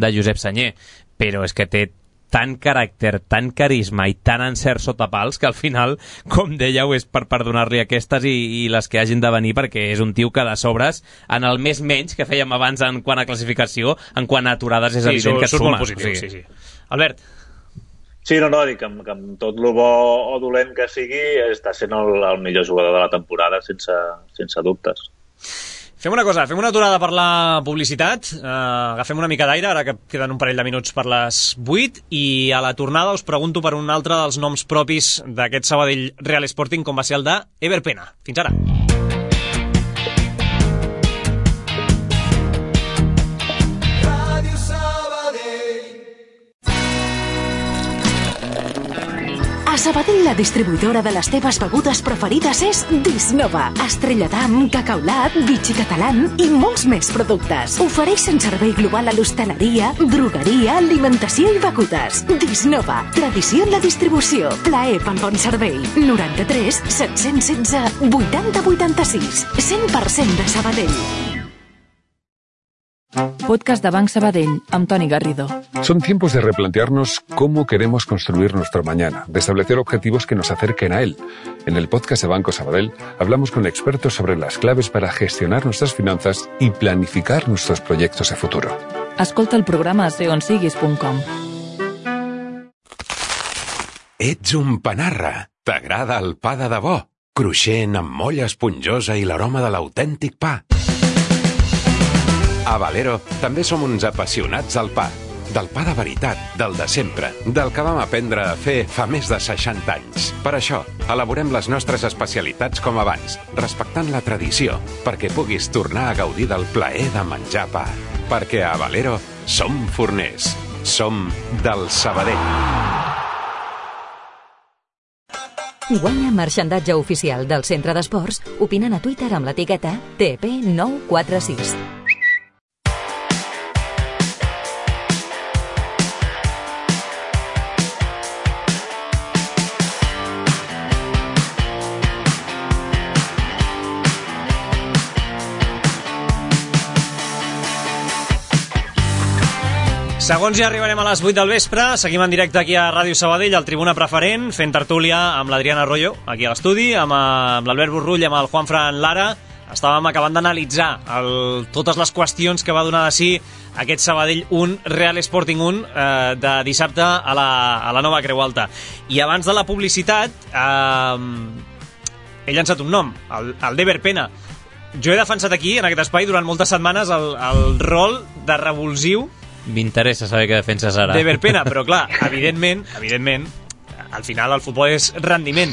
de Josep Sanyer. Però és que té tant caràcter, tant carisma i tant encert sota pals que al final, com dèieu, és per perdonar-li aquestes i, i les que hagin de venir, perquè és un tio que de sobres, en el més menys que fèiem abans en quant a classificació, en quant a aturades és sí, evident que et suma. Molt positiu, o sigui. sí, sí. Albert. Sí, no, no, dic que, que amb tot el bo o dolent que sigui està sent el, el millor jugador de la temporada sense, sense dubtes. Fem una cosa, fem una aturada per la publicitat, uh, agafem una mica d'aire, ara que queden un parell de minuts per les vuit, i a la tornada us pregunto per un altre dels noms propis d'aquest Sabadell Real Sporting, com va ser el de Ever Pena. Fins ara. A Sabadell, la distribuïdora de les teves begudes preferides és Disnova. Estrella d'Am, Cacaulat, Vichy Catalán i molts més productes. Ofereixen servei global a l'hostaleria, drogueria, alimentació i begudes. Disnova. Tradició en la distribució. Plaer pel bon servei. noranta-tres set-cents setze vuitanta vuitanta-sis. cent per cent de Sabadell. Podcast de Banc Sabadell, amb Toni Garrido. Son tiempos de replantearnos cómo queremos construir nuestro mañana, de establecer objetivos que nos acerquen a él. En el podcast de Banco Sabadell hablamos con expertos sobre las claves para gestionar nuestras finanzas y planificar nuestros proyectos de futuro. Escolta el programa a ser on siguis punt com. Ets un panarra. T'agrada el pa de debò? Cruixent, amb molla esponjosa i l'aroma de l'autèntic pa. A Valero també som uns apassionats del pa. Del pa de veritat, del de sempre, del que vam aprendre a fer fa més de seixanta anys. Per això, elaborem les nostres especialitats com abans, respectant la tradició, perquè puguis tornar a gaudir del plaer de menjar pa. Perquè a Valero som forners. Som del Sabadell. Guanya marxandatge oficial del Centre d'Esports opinant a Twitter amb l'etiqueta T P nou quatre sis. Segons ja arribarem a les vuit del vespre, seguim en directe aquí a Ràdio Sabadell, al Tribuna Preferent, fent tertúlia amb l'Adriana Arroyo, aquí a l'estudi, amb, amb l'Albert Burrull, amb el Juanfran Lara, estàvem acabant d'analitzar el, totes les qüestions que va donar de si aquest Sabadell un, Real Sporting un, eh, de dissabte a la, a la nova Creu Alta. I abans de la publicitat, eh, he llançat un nom, el, el d'Ever Pena. Jo he defensat aquí, en aquest espai, durant moltes setmanes, el, el rol de revulsiu. M'interessa saber què defenses ara. D'Ever Pena, però clar, evidentment, evidentment, al final el futbol és rendiment.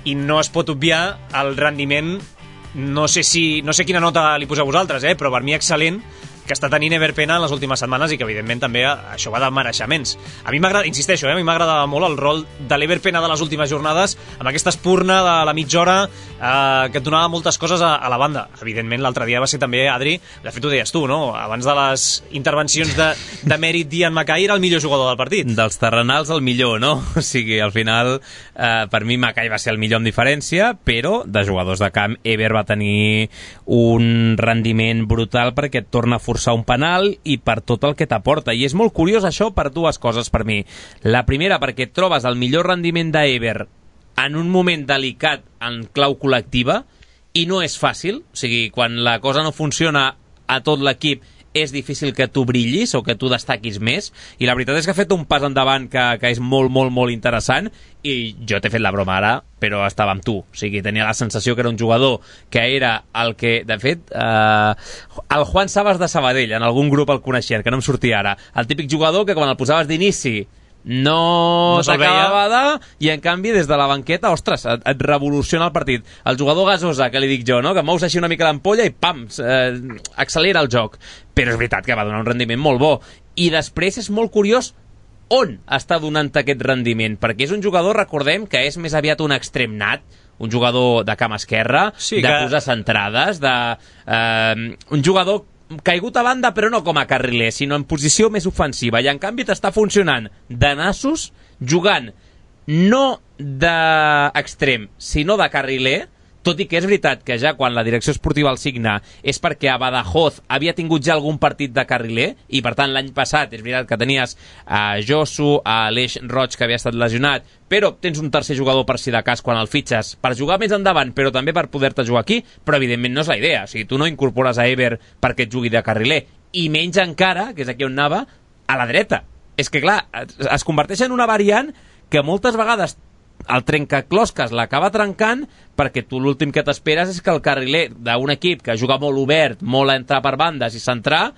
I no es pot obviar el rendiment, no sé si no sé quina nota li poseu vosaltres, eh, però per mi excel·lent, que està tenint Ever Pena en les últimes setmanes i que evidentment també això va de mereixements. A mi m'agrada, insisteixo, eh, a mi m'agrada molt el rol de l'Ever Pena de les últimes jornades, amb aquesta espurna de la mitja hora eh, que et donava moltes coses a, a la banda. Evidentment l'altre dia va ser també, Adri, de fet ho deies tu, no? Abans de les intervencions de, de mèrit d'Ian Mackay era el millor jugador del partit. Dels terrenals el millor, no? O sigui, al final eh, per mi Mackay va ser el millor amb diferència, però de jugadors de camp Ever va tenir un rendiment brutal perquè et torna a forçar un penal i per tot el que t'aporta. I és molt curiós això per dues coses per mi. La primera, perquè et trobes el millor rendiment d'Ever en un moment delicat en clau col·lectiva i no és fàcil. O sigui, quan la cosa no funciona a tot l'equip és difícil que tu brillis o que tu destaquis més, i la veritat és que ha fet un pas endavant que, que és molt, molt, molt interessant, i jo t'he fet la broma ara, però estava amb tu. O sigui, tenia la sensació que era un jugador que era el que, de fet, eh, el Juan Sabas de Sabadell, en algun grup el coneixien, que no em sortia ara, el típic jugador que quan el posaves d'inici no, no s'acabava de... i en canvi des de la banqueta, ostres, et, et revoluciona el partit. El jugador gasosa, que li dic jo, no? Que mous així una mica l'ampolla i pam, eh, accelera el joc. Però és veritat que va donar un rendiment molt bo. I després és molt curiós on està donant aquest rendiment, perquè és un jugador, recordem, que és més aviat un extrem nat, un jugador de cama esquerra, sí, de que... posar centrades, de, eh, un jugador caigut a banda però no com a carriler, sinó en posició més ofensiva, i en canvi t'està funcionant de nassos, jugant no d'extrem sinó de carriler, tot i que és veritat que ja quan la direcció esportiva el signa és perquè a Badajoz havia tingut ja algun partit de carriler, i per tant l'any passat és veritat que tenies a Josu, a Aleix Roig, que havia estat lesionat, però tens un tercer jugador per si de cas quan el fitxes per jugar més endavant, però també per poder-te jugar aquí, però evidentment no és la idea. O sigui, tu no incorpores a Ever perquè et jugui de carriler, i menys encara, que és aquí on anava, a la dreta. És que clar, es converteix en una variant que moltes vegades el trencaclosques l'acaba trencant, perquè tu l'últim que t'esperes és que el carriler d'un equip que juga molt obert, molt a entrar per bandes i centrar,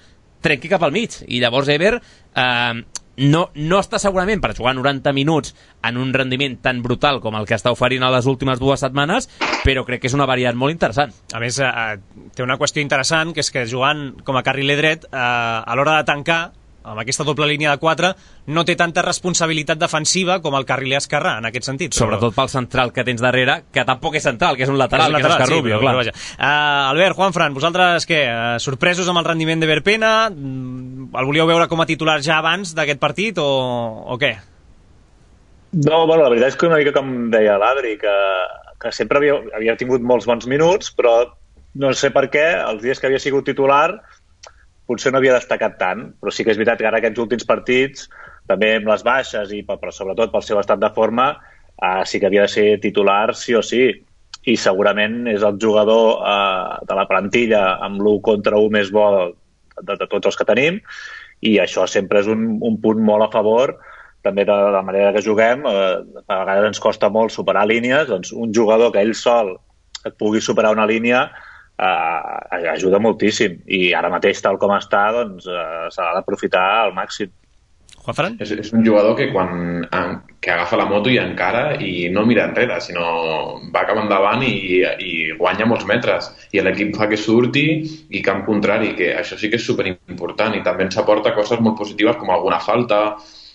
trenqui cap al mig, i llavors Ever eh, no, no està segurament per jugar noranta minuts en un rendiment tan brutal com el que està oferint a les últimes dues setmanes, però crec que és una variant molt interessant. A més, eh, té una qüestió interessant, que és que jugant com a carriler dret, eh, a l'hora de tancar amb aquesta doble línia de quatre, no té tanta responsabilitat defensiva com el carriler esquerrà, en aquest sentit. Però... sobretot pel central que tens darrere, que tampoc és central, que és un lateral, és un lateral, que és Escarrubio, sí, clar. Uh, Albert, Juanfran, vosaltres què? Uh, sorpresos amb el rendiment d'Ever Pena? Mm, el volíeu veure com a titular ja abans d'aquest partit o, o què? No, bueno, la veritat és que una mica com deia l'Adri, que, que sempre havia, havia tingut molts bons minuts, però no sé per què, els dies que havia sigut titular potser no havia destacat tant, però sí que és veritat que ara aquests últims partits, també amb les baixes, i però sobretot pel seu estat de forma, eh, sí que havia de ser titular sí o sí, i segurament és el jugador eh, de la plantilla amb l'u contra u més bo de, de tots els que tenim, i això sempre és un, un punt molt a favor, també de la manera que juguem. Eh, a vegades ens costa molt superar línies, doncs un jugador que ell sol et pugui superar una línia Uh, ajuda moltíssim, i ara mateix tal com està, doncs uh, s'ha d'aprofitar al màxim. Juanfran? És, és un jugador que quan que agafa la moto i encara i no mira enrere, sinó va cap endavant i, i guanya molts metres, i l'equip fa que surti i camp contrari, que això sí que és superimportant, i també ens aporta coses molt positives com alguna falta,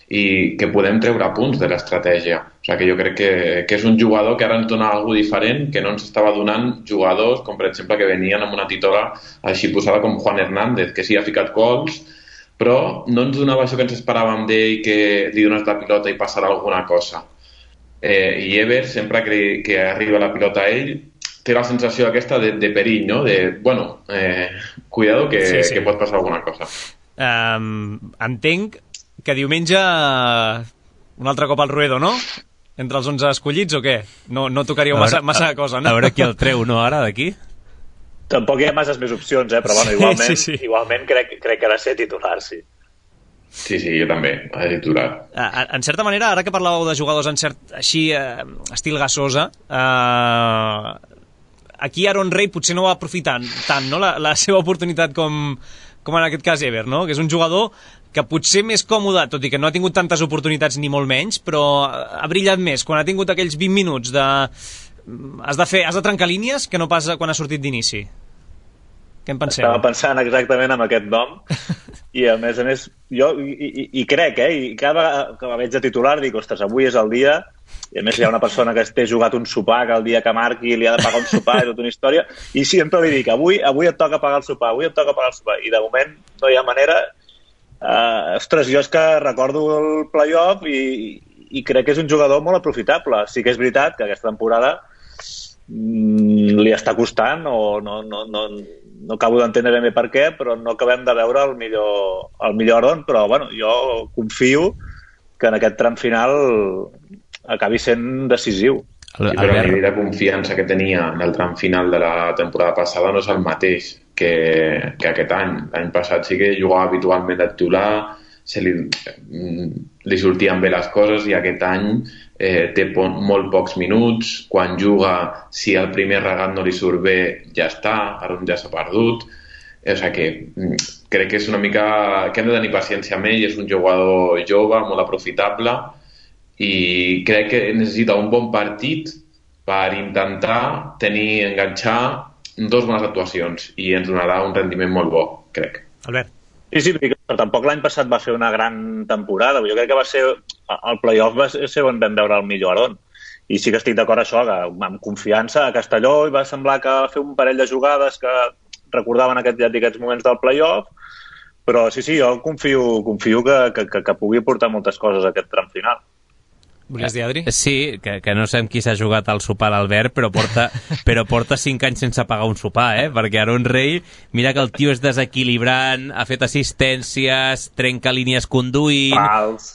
i que podem treure punts de l'estratègia. O sigui que jo crec que, que és un jugador que ara ens dona alguna diferent, que no ens estava donant jugadors com per exemple que venien amb una titola així posada com Juan Hernández, que sí ha ficat gols, però no ens donava això que ens esperàvem d'ell, que li dones la pilota i passarà alguna cosa. Eh, I Ever, sempre que, que arriba la pilota a ell, té la sensació aquesta de, de perill, no? De, bueno, eh, cuidado que, sí, sí. que pot passar alguna cosa. Um, entenc que diumenge un altre cop al Ruedo, no? Entre els onze escollits o què? No, no tocaríeu massa, massa cosa, no? A veure qui el treu, no, ara, d'aquí? Tampoc hi ha masses més opcions, eh? Però bueno, igualment, sí, sí. igualment crec, crec que ha de ser titular, sí. Sí, sí, jo també, ha de titular. En certa manera, ara que parlàveu de jugadors en cert, així, eh, estil Gasosa, eh, aquí Aaron Rey potser no va aprofitar tant, no? la, la seva oportunitat com, com en aquest cas Ever, no? Que és un jugador que potser més còmode, tot i que no ha tingut tantes oportunitats ni molt menys, però ha brillat més quan ha tingut aquells vint minuts de... Has de, fer, has de trencar línies que no pas quan ha sortit d'inici. Què en penseu? Estava pensant exactament en aquest nom i a més a més jo i, i, i crec, eh, i cada vegada que la veig de titular dic, ostres, avui és el dia, i a més hi ha una persona que té jugat un sopar que el dia que marqui li ha de pagar un sopar i tota una història, i sempre li dic, avui, avui et toca pagar el sopar, avui et toca pagar el sopar, i de moment no hi ha manera. Uh, ostres, jo és que recordo el playoff i, i crec que és un jugador molt aprofitable. Sí que és veritat que aquesta temporada mm, li està costant, o no, no, no, no acabo d'entendre ben bé per què, però no acabem de veure el millor, el millor Aaron, però bueno, jo confio que en aquest tram final acabi sent decisiu. Sí, però el nivell de confiança que tenia en el tram final de la temporada passada no és el mateix que, que aquest any. L'any passat sí que jugava habitualment de titular, se li, li sortien bé les coses, i aquest any eh, té po molt pocs minuts. Quan juga, si el primer regat no li surt bé, ja està, ara ja s'ha perdut. O sigui que crec que és una mica que hem de tenir paciència amb ell. És un jugador jove, molt aprofitable, i crec que necessita un bon partit per intentar tenir, enganxar dos bones actuacions, i ens donarà un rendiment molt bo, crec. Albert. Sí, sí, però tampoc l'any passat va fer una gran temporada. Jo crec que va ser el playoff va ser on vam veure el millor Aaron, i sí que estic d'acord això, que amb confiança a Castelló i va semblar que va fer un parell de jugades que recordaven aquest, ja aquests moments del playoff, però sí, sí, jo confio, confio que, que, que, que pugui portar moltes coses a aquest tram final. Volies dir, Adri? Sí, que, que no sé amb qui s'ha jugat al sopar l'Albert, però porta, però porta cinc anys sense pagar un sopar, eh? Perquè Aaron Rey, mira que el tio és desequilibrant, ha fet assistències, trenca línies conduint... Pals.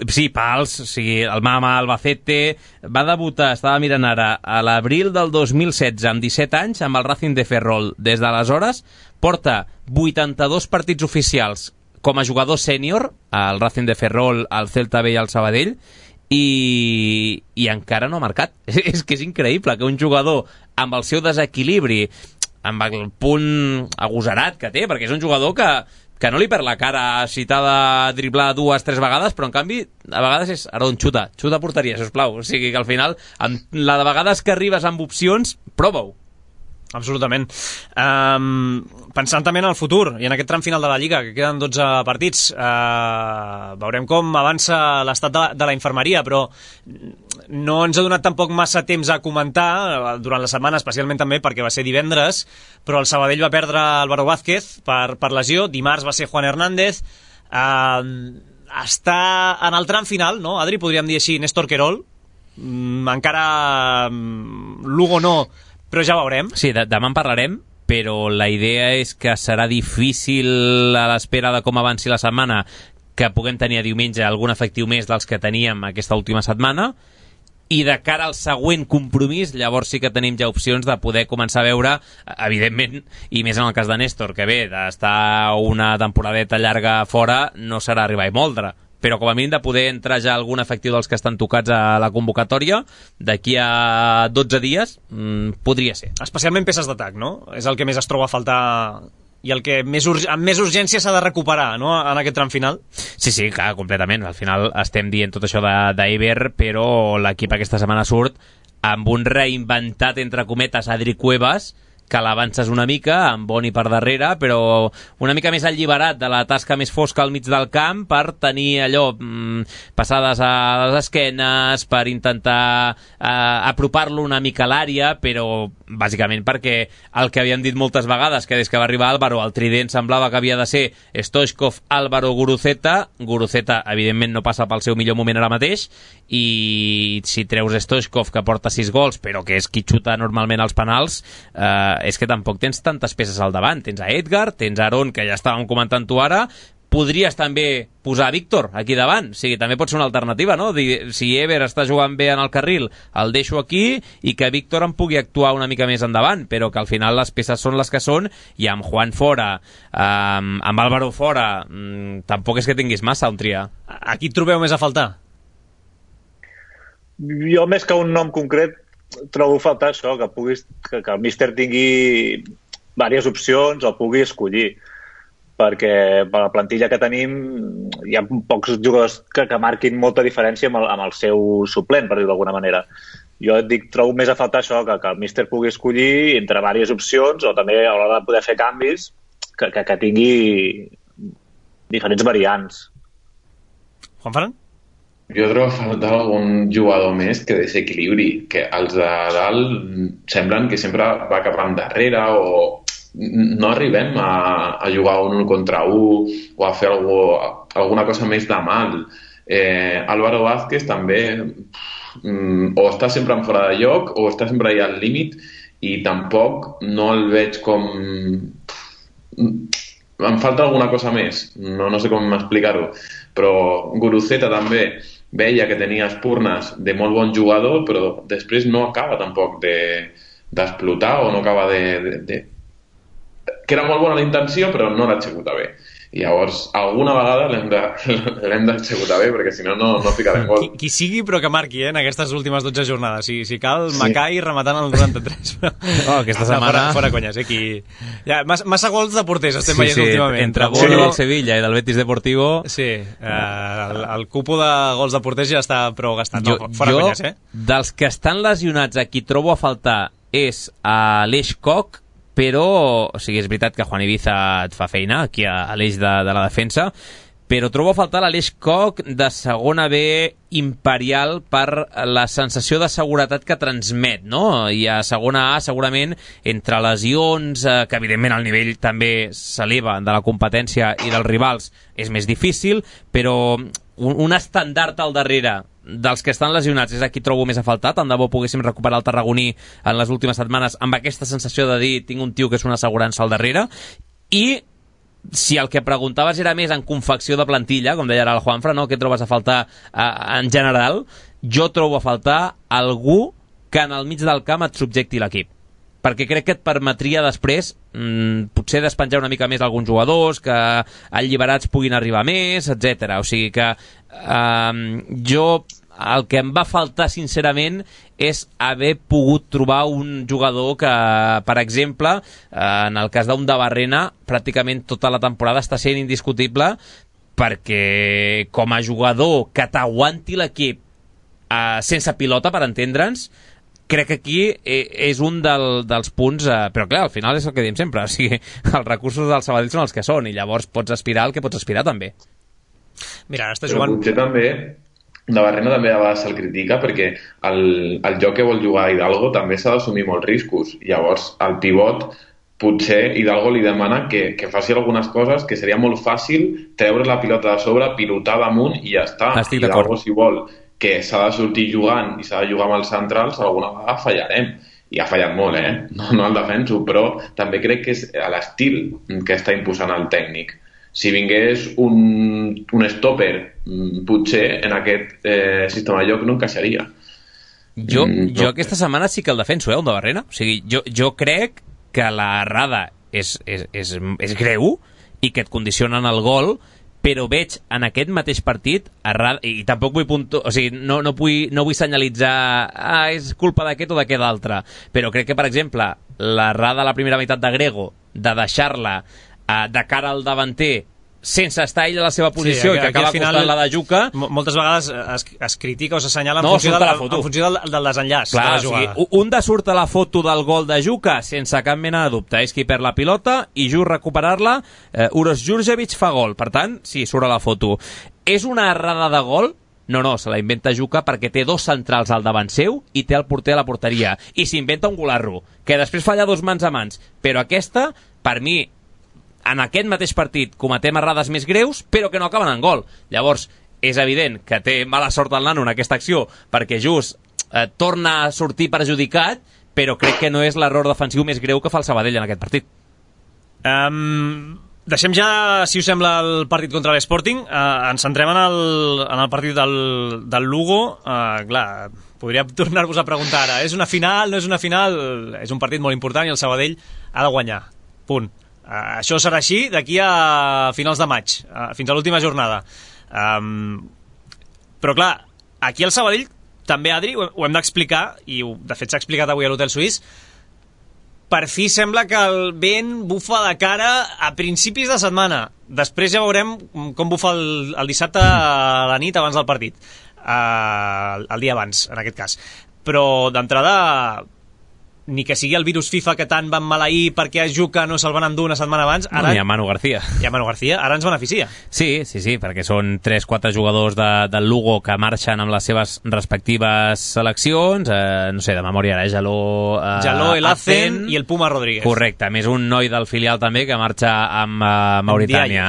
Sí, pals, o sigui, el Mama Albacete... Va debutar, estava mirant ara, a l'abril del dos mil setze, amb disset anys, amb el Racing de Ferrol. Des d'aleshores, porta vuitanta-dos partits oficials com a jugador sènior, al Racing de Ferrol, al Celta B i al Sabadell, I, i encara no ha marcat. És que és increïble que un jugador amb el seu desequilibri, amb el punt agosarat que té, perquè és un jugador que, que no li perd la cara si t'ha de driblar dues, tres vegades, però en canvi a vegades és, Aaron, xuta, xuta a porteria, sisplau. O sigui que al final, amb la de vegades que arribes amb opcions, prova-ho. Absolutament. Um, pensant també en el futur i en aquest tram final de la Lliga, que queden dotze partits, uh, veurem com avança l'estat de, de la infermeria, però no ens ha donat tampoc massa temps a comentar durant la setmana, especialment també perquè va ser divendres, però el Sabadell va perdre Álvaro Vázquez per, per lesió, dimarts va ser Juan Hernández. Uh, està en el tram final, no? Adri, podríem dir així, Néstor Querol, mm, encara mm, Lugo no, però ja veurem. Sí, de demà en parlarem, però la idea és que serà difícil, a l'espera de com avanci la setmana, que puguem tenir a diumenge algun efectiu més dels que teníem aquesta última setmana, i de cara al següent compromís, llavors sí que tenim ja opcions de poder començar a veure, evidentment, i més en el cas de Néstor, que bé, d'estar una temporadeta llarga fora no serà arribar i moldre, però com a mínim de poder entrar ja algun efectiu dels que estan tocats a la convocatòria d'aquí a dotze dies, mmm, podria ser. Especialment peces d'atac, no? És el que més es troba a faltar i el que més amb més urgència s'ha de recuperar, no?, en aquest tram final. Sí, sí, clar, completament. Al final estem dient tot això d'Eiber, però l'equip aquesta setmana surt amb un reinventat, entre cometes, Adri Cuevas, que l'avances una mica, amb Boni per darrere, però una mica més alliberat de la tasca més fosca al mig del camp, per tenir allò, mmm, passades a les esquenes, per intentar eh, apropar-lo una mica a l'àrea, però bàsicament perquè el que havíem dit moltes vegades, que des que va arribar Álvaro, el trident semblava que havia de ser Stoichkov, Álvaro, Guruceta. Guruceta, evidentment, no passa pel seu millor moment ara mateix, i si treus Stoichkov, que porta sis gols, però que és qui xuta normalment els penals, eh, és que tampoc tens tantes peces al davant. Tens a Edgar, tens a Aaron, que ja estàvem comentant tu ara, podries també posar Víctor aquí davant, o sigui, també pot ser una alternativa, no? Dir, si Ever està jugant bé en el carril, el deixo aquí i que Víctor em pugui actuar una mica més endavant, però que al final les peces són les que són i amb Juan fora, amb, amb Álvaro fora, mmm, tampoc és que tinguis massa on triar. A qui trobeu més a faltar? Jo, més que un nom concret, trobo a faltar això, que, puguis, que, que el míster tingui diverses opcions o pugui escollir, perquè per la plantilla que tenim hi ha pocs jugadors que, que marquin molta diferència amb el, amb el seu suplent, per dir-ho d'alguna manera. Jo et dic, trobo més a faltar això, que, que el míster pugui escollir entre diverses opcions o també a l'hora de poder fer canvis que, que, que tingui diferents variants. Juanfran? Jo trobo a faltar algun jugador més que desequilibri, que els de dalt semblen que sempre va cap endarrere o no arribem a, a jugar un un contra un o a fer algú, alguna cosa més de mal. Eh, Álvaro Vázquez també mm, o està sempre en fora de lloc o està sempre allà al límit i tampoc no el veig com... Em falta alguna cosa més, no, no sé com explicar-ho, però Guruceta també veia que tenia espurnes de molt bon jugador, però després no acaba tampoc de, d'explotar o no acaba de, de, de... que era molt bona la intenció però no l'executa bé. I llavors alguna vegada l'hem de, l'hem d'executar bé perquè si no no, no ficarem gol. Qui, qui sigui però que marqui eh, en aquestes últimes dotze jornades, si, si cal sí. Macai rematant el noranta-tres. Oh, aquesta setmana... No, fora, fora conyes, eh, qui... ja, massa, massa gols de porters estem sí, veient sí, últimament. Entre Bono sí. del Sevilla i del Betis Deportivo... Sí, eh, el, el cupo de gols de porters ja està prou gastat. Jo, no, fora jo, conyes, eh? Dels que estan lesionats a qui trobo a faltar és a l'Eix Koch, però, o sigui, és veritat que Juan Ibiza et fa feina aquí a, a l'eix de, de la defensa, però trobo a faltar l'Aleix Koch de segona B imperial per la sensació de seguretat que transmet, no? I a segona A, segurament, entre lesions, eh, que evidentment el nivell també s'eleva de la competència i dels rivals, és més difícil, però un, un estandard al darrere dels que estan lesionats és a qui trobo més a faltar. Tant de bo poguéssim recuperar el tarragoní en les últimes setmanes amb aquesta sensació de dir tinc un tio que és una assegurança al darrere. I si el que preguntaves era més en confecció de plantilla, com deia ara el Juanfra, no? Què trobes a faltar eh, en general? Jo trobo a faltar algú que en el mig del camp et subjecti l'equip, perquè crec que et permetria després mmm, potser despenjar una mica més alguns jugadors, que alliberats puguin arribar més, etcètera. O sigui que eh, jo el que em va faltar sincerament és haver pogut trobar un jugador que, per exemple, eh, en el cas d'un de Barrena, pràcticament tota la temporada està sent indiscutible, perquè com a jugador que t'aguanti l'equip eh, sense pilota, per entendre'ns, crec que aquí és un del, dels punts, eh, però clar, al final és el que diem sempre, o sigui, els recursos del Sabadell són els que són i llavors pots aspirar al que pots aspirar també. Mira, ara està però jugant... potser també de Barrena també a vegades se'l critica perquè el, el joc que vol jugar Hidalgo també s'ha d'assumir molts riscos, llavors el pivot potser Hidalgo li demana que, que faci algunes coses que seria molt fàcil treure la pilota de sobre, pilotar damunt i ja està. Estic Hidalgo d'acord. si vol que s'ha de sortir jugant i s'ha de jugar amb els centrals, alguna vegada fallarem. I ha fallat molt, eh? No, no el defenso, però també crec que és l'estil que està imposant el tècnic. Si vingués un, un stopper, potser en aquest eh, sistema de joc no encaixaria. Jo, Mm, jo no. aquesta setmana sí que el defenso, eh, el de Barrena. O sigui, jo, jo crec que la errada és, és, és, és greu i que et condicionen el gol, però veig en aquest mateix partit errada, i tampoc vull punto, o sigui, no, no, vull, no vull senyalitzar ah, és culpa d'aquest o d'aquest altre, però crec que, per exemple, l'errada a la primera meitat de Grego de deixar-la eh, de cara al davanter sense estar ell a la seva posició, sí, i que acaba costant la de Juca. Moltes vegades es, es critica o s'assenyala en, no, funció, del, la en funció del, del desenllaç. Clar, de la o jugada. sigui, un de surt a la foto del gol de Juca sense cap mena de dubte, és qui perd la pilota i just recuperar-la, eh, Uros Djurdjevic fa gol, per tant, sí, surt a la foto. És una errada de gol? No, no, se la inventa Juca perquè té dos centrals al davant seu i té el porter a la porteria, i s'inventa un golarro, que després falla dos mans a mans, però aquesta, per mi, en aquest mateix partit cometem errades més greus, però que no acaben en gol. Llavors, és evident que té mala sort el nano en aquesta acció, perquè just eh, torna a sortir perjudicat, però crec que no és l'error defensiu més greu que fa el Sabadell en aquest partit. Um, Deixem ja, si us sembla, el partit contra l'Sporting. Uh, ens centrem en el, en el partit del, del Lugo. Uh, clar, podria tornar-vos a preguntar ara, és una final, no és una final? És un partit molt important i el Sabadell ha de guanyar. Punt. Uh, això serà així d'aquí a finals de maig, uh, fins a l'última jornada. Um, però clar, aquí el Sabadell també, Adri, ho, ho hem d'explicar, i ho, de fet s'ha explicat avui a l'Hotel Suís. Per fi sembla que el vent bufa de cara a principis de setmana. Després ja veurem com bufa el, el dissabte a la nit abans del partit, uh, el dia abans, en aquest cas. Però d'entrada, ni que sigui el virus FIFA que tant van maleir perquè a Juca no se'l van endur una setmana abans, ara... No, hi ha Manu García. Hi ha Manu García, ara ens beneficia. Sí, sí, sí, perquè són tres quatre jugadors de, del Lugo que marxen amb les seves respectives seleccions, eh, no sé, de memòria ara, Jaló... Eh, Jaló, el Azen i el Puma Rodríguez. Correcte, més un noi del filial també que marxa amb eh, Mauritània.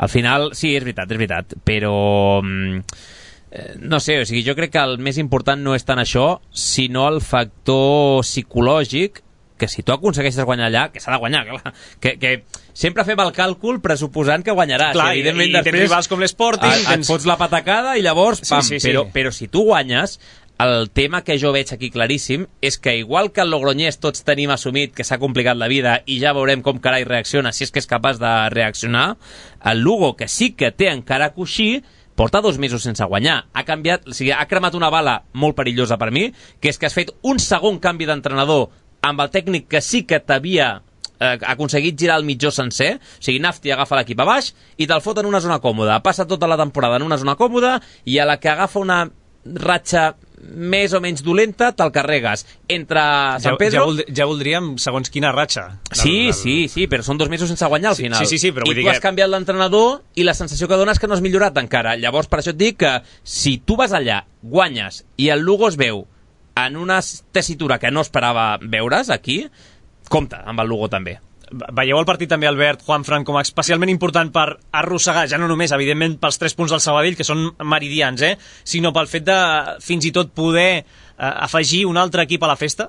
Al final, sí, és veritat, és veritat, però... no sé, o sigui, jo crec que el més important no és tant això, sinó el factor psicològic, que si tu aconsegueixes guanyar allà, que s'ha de guanyar, clar, que, que sempre fem el càlcul pressuposant que guanyaràs. Clar, i, i, i tens rivals com l'Sporting, et, tens... et fots la patacada i llavors, pam, sí, sí, sí. Però, però si tu guanyes, el tema que jo veig aquí claríssim és que igual que el Logroñés tots tenim assumit que s'ha complicat la vida i ja veurem com carai reacciona, si és que és capaç de reaccionar, el Lugo, que sí que té encara coixí, porta dos mesos sense guanyar. Ha canviat, o sigui, ha cremat una bala molt perillosa per mi, que és que has fet un segon canvi d'entrenador amb el tècnic que sí que t'havia eh, aconseguit girar el mitjó sencer. O sigui, Nafti agafa l'equip a baix i te'l fot en una zona còmoda. Passa tota la temporada en una zona còmoda i a la que agafa una ratxa més o menys dolenta, te'l carregues entre San Pedro... Ja, ja, vold, ja voldríem segons quina ratxa. Sí, del... sí, sí, però són dos mesos sense guanyar al sí, final. Sí, sí, sí, però I vull tu dir has que... canviat l'entrenador i la sensació que dones que no has millorat encara. Llavors, per això et dic que si tu vas allà, guanyes, i el Lugo es veu en una tessitura que no esperava veure's aquí, compta amb el Lugo també. Veieu el partit també, Albert, Juanfran, com a especialment important per arrossegar, ja no només, evidentment, pels tres punts del Sabadell, que són meridians, eh? sinó pel fet de fins i tot poder eh, afegir un altre equip a la festa?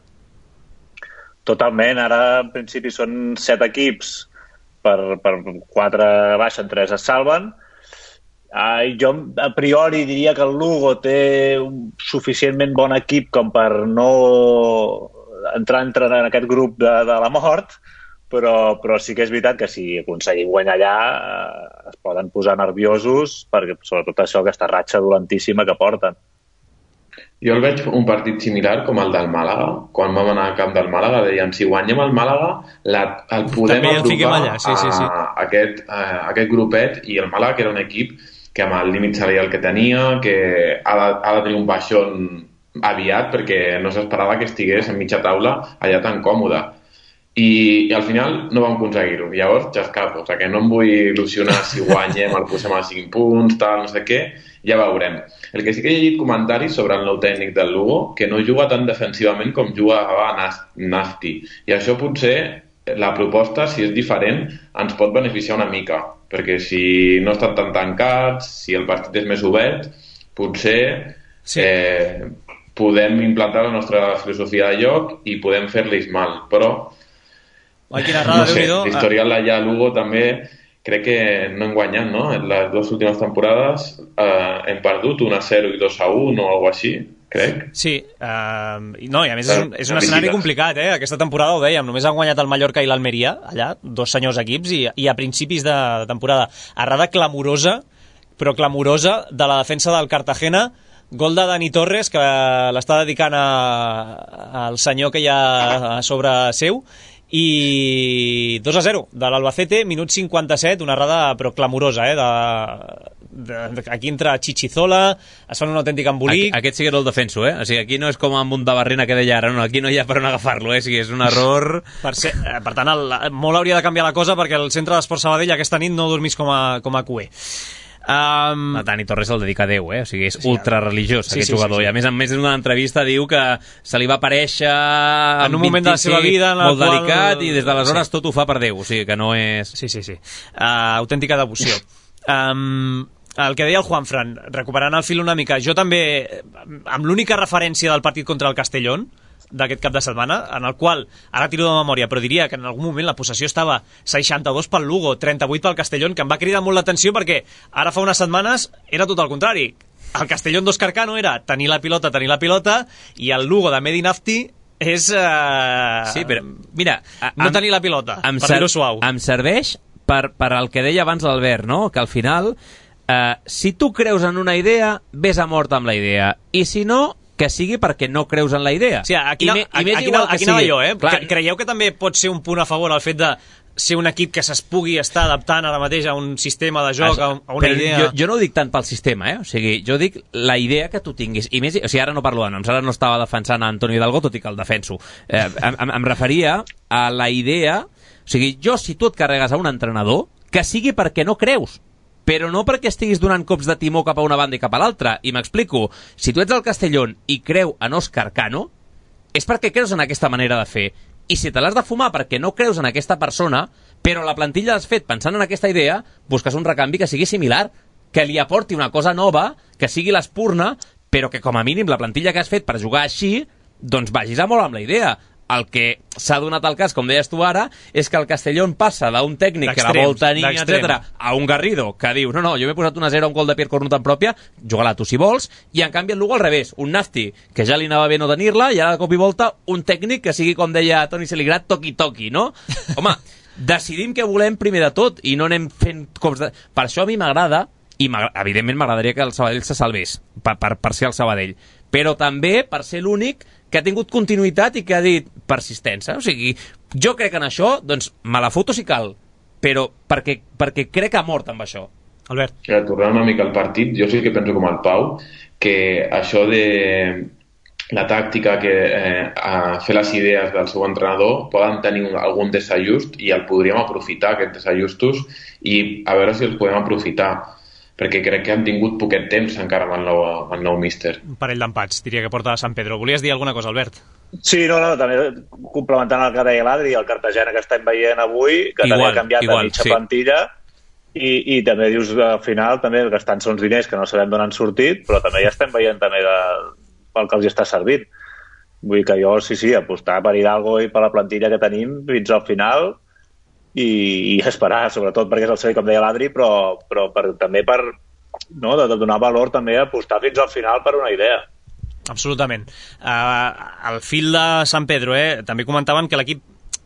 Totalment. Ara, en principi, són set equips, per, per quatre baixen, tres es salven. Ah, jo, a priori, diria que el Lugo té un suficientment bon equip com per no entrar, entrar en aquest grup de, de la mort, Però, però sí que és veritat que si aconseguim guanyar allà eh, es poden posar nerviosos, perquè sobretot això, aquesta ratxa dolentíssima que porten. Jo el veig un partit similar com el del Màlaga. Quan vam anar al camp del Màlaga deien si guanyem el Màlaga la, el podem També apropar allà. Sí, sí, sí. A, a, aquest, a aquest grupet, i el Màlaga, que era un equip que amb el límit salarial que tenia, que ha de, ha de tenir un baixón aviat perquè no s'esperava que estigués en mitja taula allà tan còmode. I, i al final no vam aconseguir-ho. Llavors ja escapo, o sigui que no em vull il·lusionar si guanyem, el posem a cinc punts, tal, no sé què, ja veurem. El que sí que he llegit comentaris sobre el nou tècnic del Lugo, que no juga tan defensivament com jugava Nafti. I això potser, la proposta, si és diferent, ens pot beneficiar una mica, perquè si no estan tan tancats, si el partit és més obert, potser sí. eh, podem implantar la nostra filosofia de joc i podem fer-los mal, però Ai, quina rada, no sé, l'historial allà a Lugo també crec que no hem guanyat, no? En les dues últimes temporades eh, hem perdut un a zero i dos a un o alguna així, crec. Sí, uh, no, i a més és un, és un escenari complicat, eh? Aquesta temporada ho dèiem, només han guanyat el Mallorca i l'Almeria, allà, dos senyors equips, i, i a principis de temporada. Errada clamorosa, però clamorosa, de la defensa del Cartagena, gol de Dani Torres, que l'està dedicant a, al senyor que hi ha a sobre seu, i dos a zero de l'Albacete, minut cinquanta-set, una errada però clamorosa, eh, de, de, de, aquí entra Chichizola, es fan un autèntic embolic. Aquí, aquest sí que era el defenso, eh? O sigui, aquí no és com amb un de Barrena que deia ara, no, aquí no hi ha per on agafar-lo, eh? O sigui, és un error... Per, ser, per tant, el, molt hauria de canviar la cosa perquè el centre d'Esport Sabadell aquesta nit no dormís com a, com a cué. Um... El Dani Torres el dedica a Déu, eh? O sigui, és sí, ultra religiós, sí, aquest sí, jugador, sí, sí. I a més a més en una entrevista diu que se li va aparèixer en un moment de la seva vida en molt qual... delicat i des d'aleshores sí. Tot ho fa per Déu, o sigui que no és... Sí, sí, sí, uh, autèntica devoció. um, el que deia el Juanfran, recuperant el fil una mica, jo també, amb l'única referència del partit contra el Castellón, d'aquest cap de setmana, en el qual, ara tiro de memòria, però diria que en algun moment la possessió estava seixanta-dos pel Lugo, trenta-vuit pel Castellón, que em va cridar molt l'atenció perquè ara fa unes setmanes era tot el contrari. El Castellón d'Òscar Cano era tenir la pilota, tenir la pilota, i el Lugo de Medi Nafti és... Uh... Sí, però, mira... No em, tenir la pilota, per dir-ho suau. Em serveix per, per el que deia abans l'Albert, no? Que al final, uh, si tu creus en una idea, ves a mort amb la idea. I si no, que sigui perquè no creus en la idea. Sí, aquí, I, no, i aquí, aquí, aquí anava jo, eh? Clar. Creieu que també pot ser un punt a favor el fet de ser un equip que es pugui estar adaptant ara mateix a un sistema de joc, a, a una però idea... Jo, jo no ho dic tant pel sistema, eh? O sigui, jo dic la idea que tu tinguis. I més, o sigui, ara no parlo de noms, ara no estava defensant a Antonio Hidalgo, tot i que el defenso. Eh, em, em referia a la idea... O sigui, jo, si tu et carregues a un entrenador, que sigui perquè no creus, però no perquè estiguis donant cops de timó cap a una banda i cap a l'altra. I m'explico, si tu ets el Castellón i creu en Òscar Cano, és perquè creus en aquesta manera de fer. I si te l'has de fumar perquè no creus en aquesta persona, però la plantilla l'has fet pensant en aquesta idea, busques un recanvi que sigui similar, que li aporti una cosa nova, que sigui l'espurna, però que com a mínim la plantilla que has fet per jugar així, doncs vagis a molt amb la idea. El que s'ha donat el cas, com deies tu ara, és que el Castellón passa d'un tècnic que la vol tenir, etcètera, a un Garrido que diu, no, no, jo m'he posat una zero a un gol de Pierre Cornut en pròpia, juga-la tu si vols, i en canvi el Lugo al revés, un Nafti, que ja li anava bé no tenir-la, i ara de cop i volta un tècnic que sigui, com deia Toni Seligrat, toqui-toqui, no? Home, decidim què volem primer de tot, i no anem fent cops de... Per això a mi m'agrada, i evidentment m'agradaria que el Sabadell se salvés, per, per, per ser el Sabadell, però també per ser l'únic que ha tingut continuïtat i que ha dit persistència. O sigui, jo crec en això, doncs me la foto si cal, però perquè, perquè crec que ha mort amb això. Albert. Ja, tornant una mica al partit, jo sí que penso com el Pau, que això de la tàctica, que eh, a fer les idees del seu entrenador poden tenir un, algun desajust i el podríem aprofitar, aquests desajustos, i a veure si els podem aprofitar, perquè crec que han tingut poquet temps encara amb el nou, amb el nou míster. Un parell d'empats, diria que porta a San Pedro. Volies dir alguna cosa, Albert? Sí, no, no, també complementant el que deia l'Adri, el Cartagena que estem veient avui, que igual, també ha canviat igual, de mitja sí. plantilla, i, i també dius al final, també gastant-se uns diners que no sabem d'on han sortit, però també ja estem veient també de, pel que els està servint. Vull dir que jo, sí, sí, apostar per Hidalgo i per la plantilla que tenim fins al final, i, i esperar, sobretot perquè és el servei, com deia l'Adri, però, però per, també per no, de, de donar valor també a apostar fins al final per una idea. Absolutament. Uh, al fil de San Pedro, eh, també comentaven que l'equip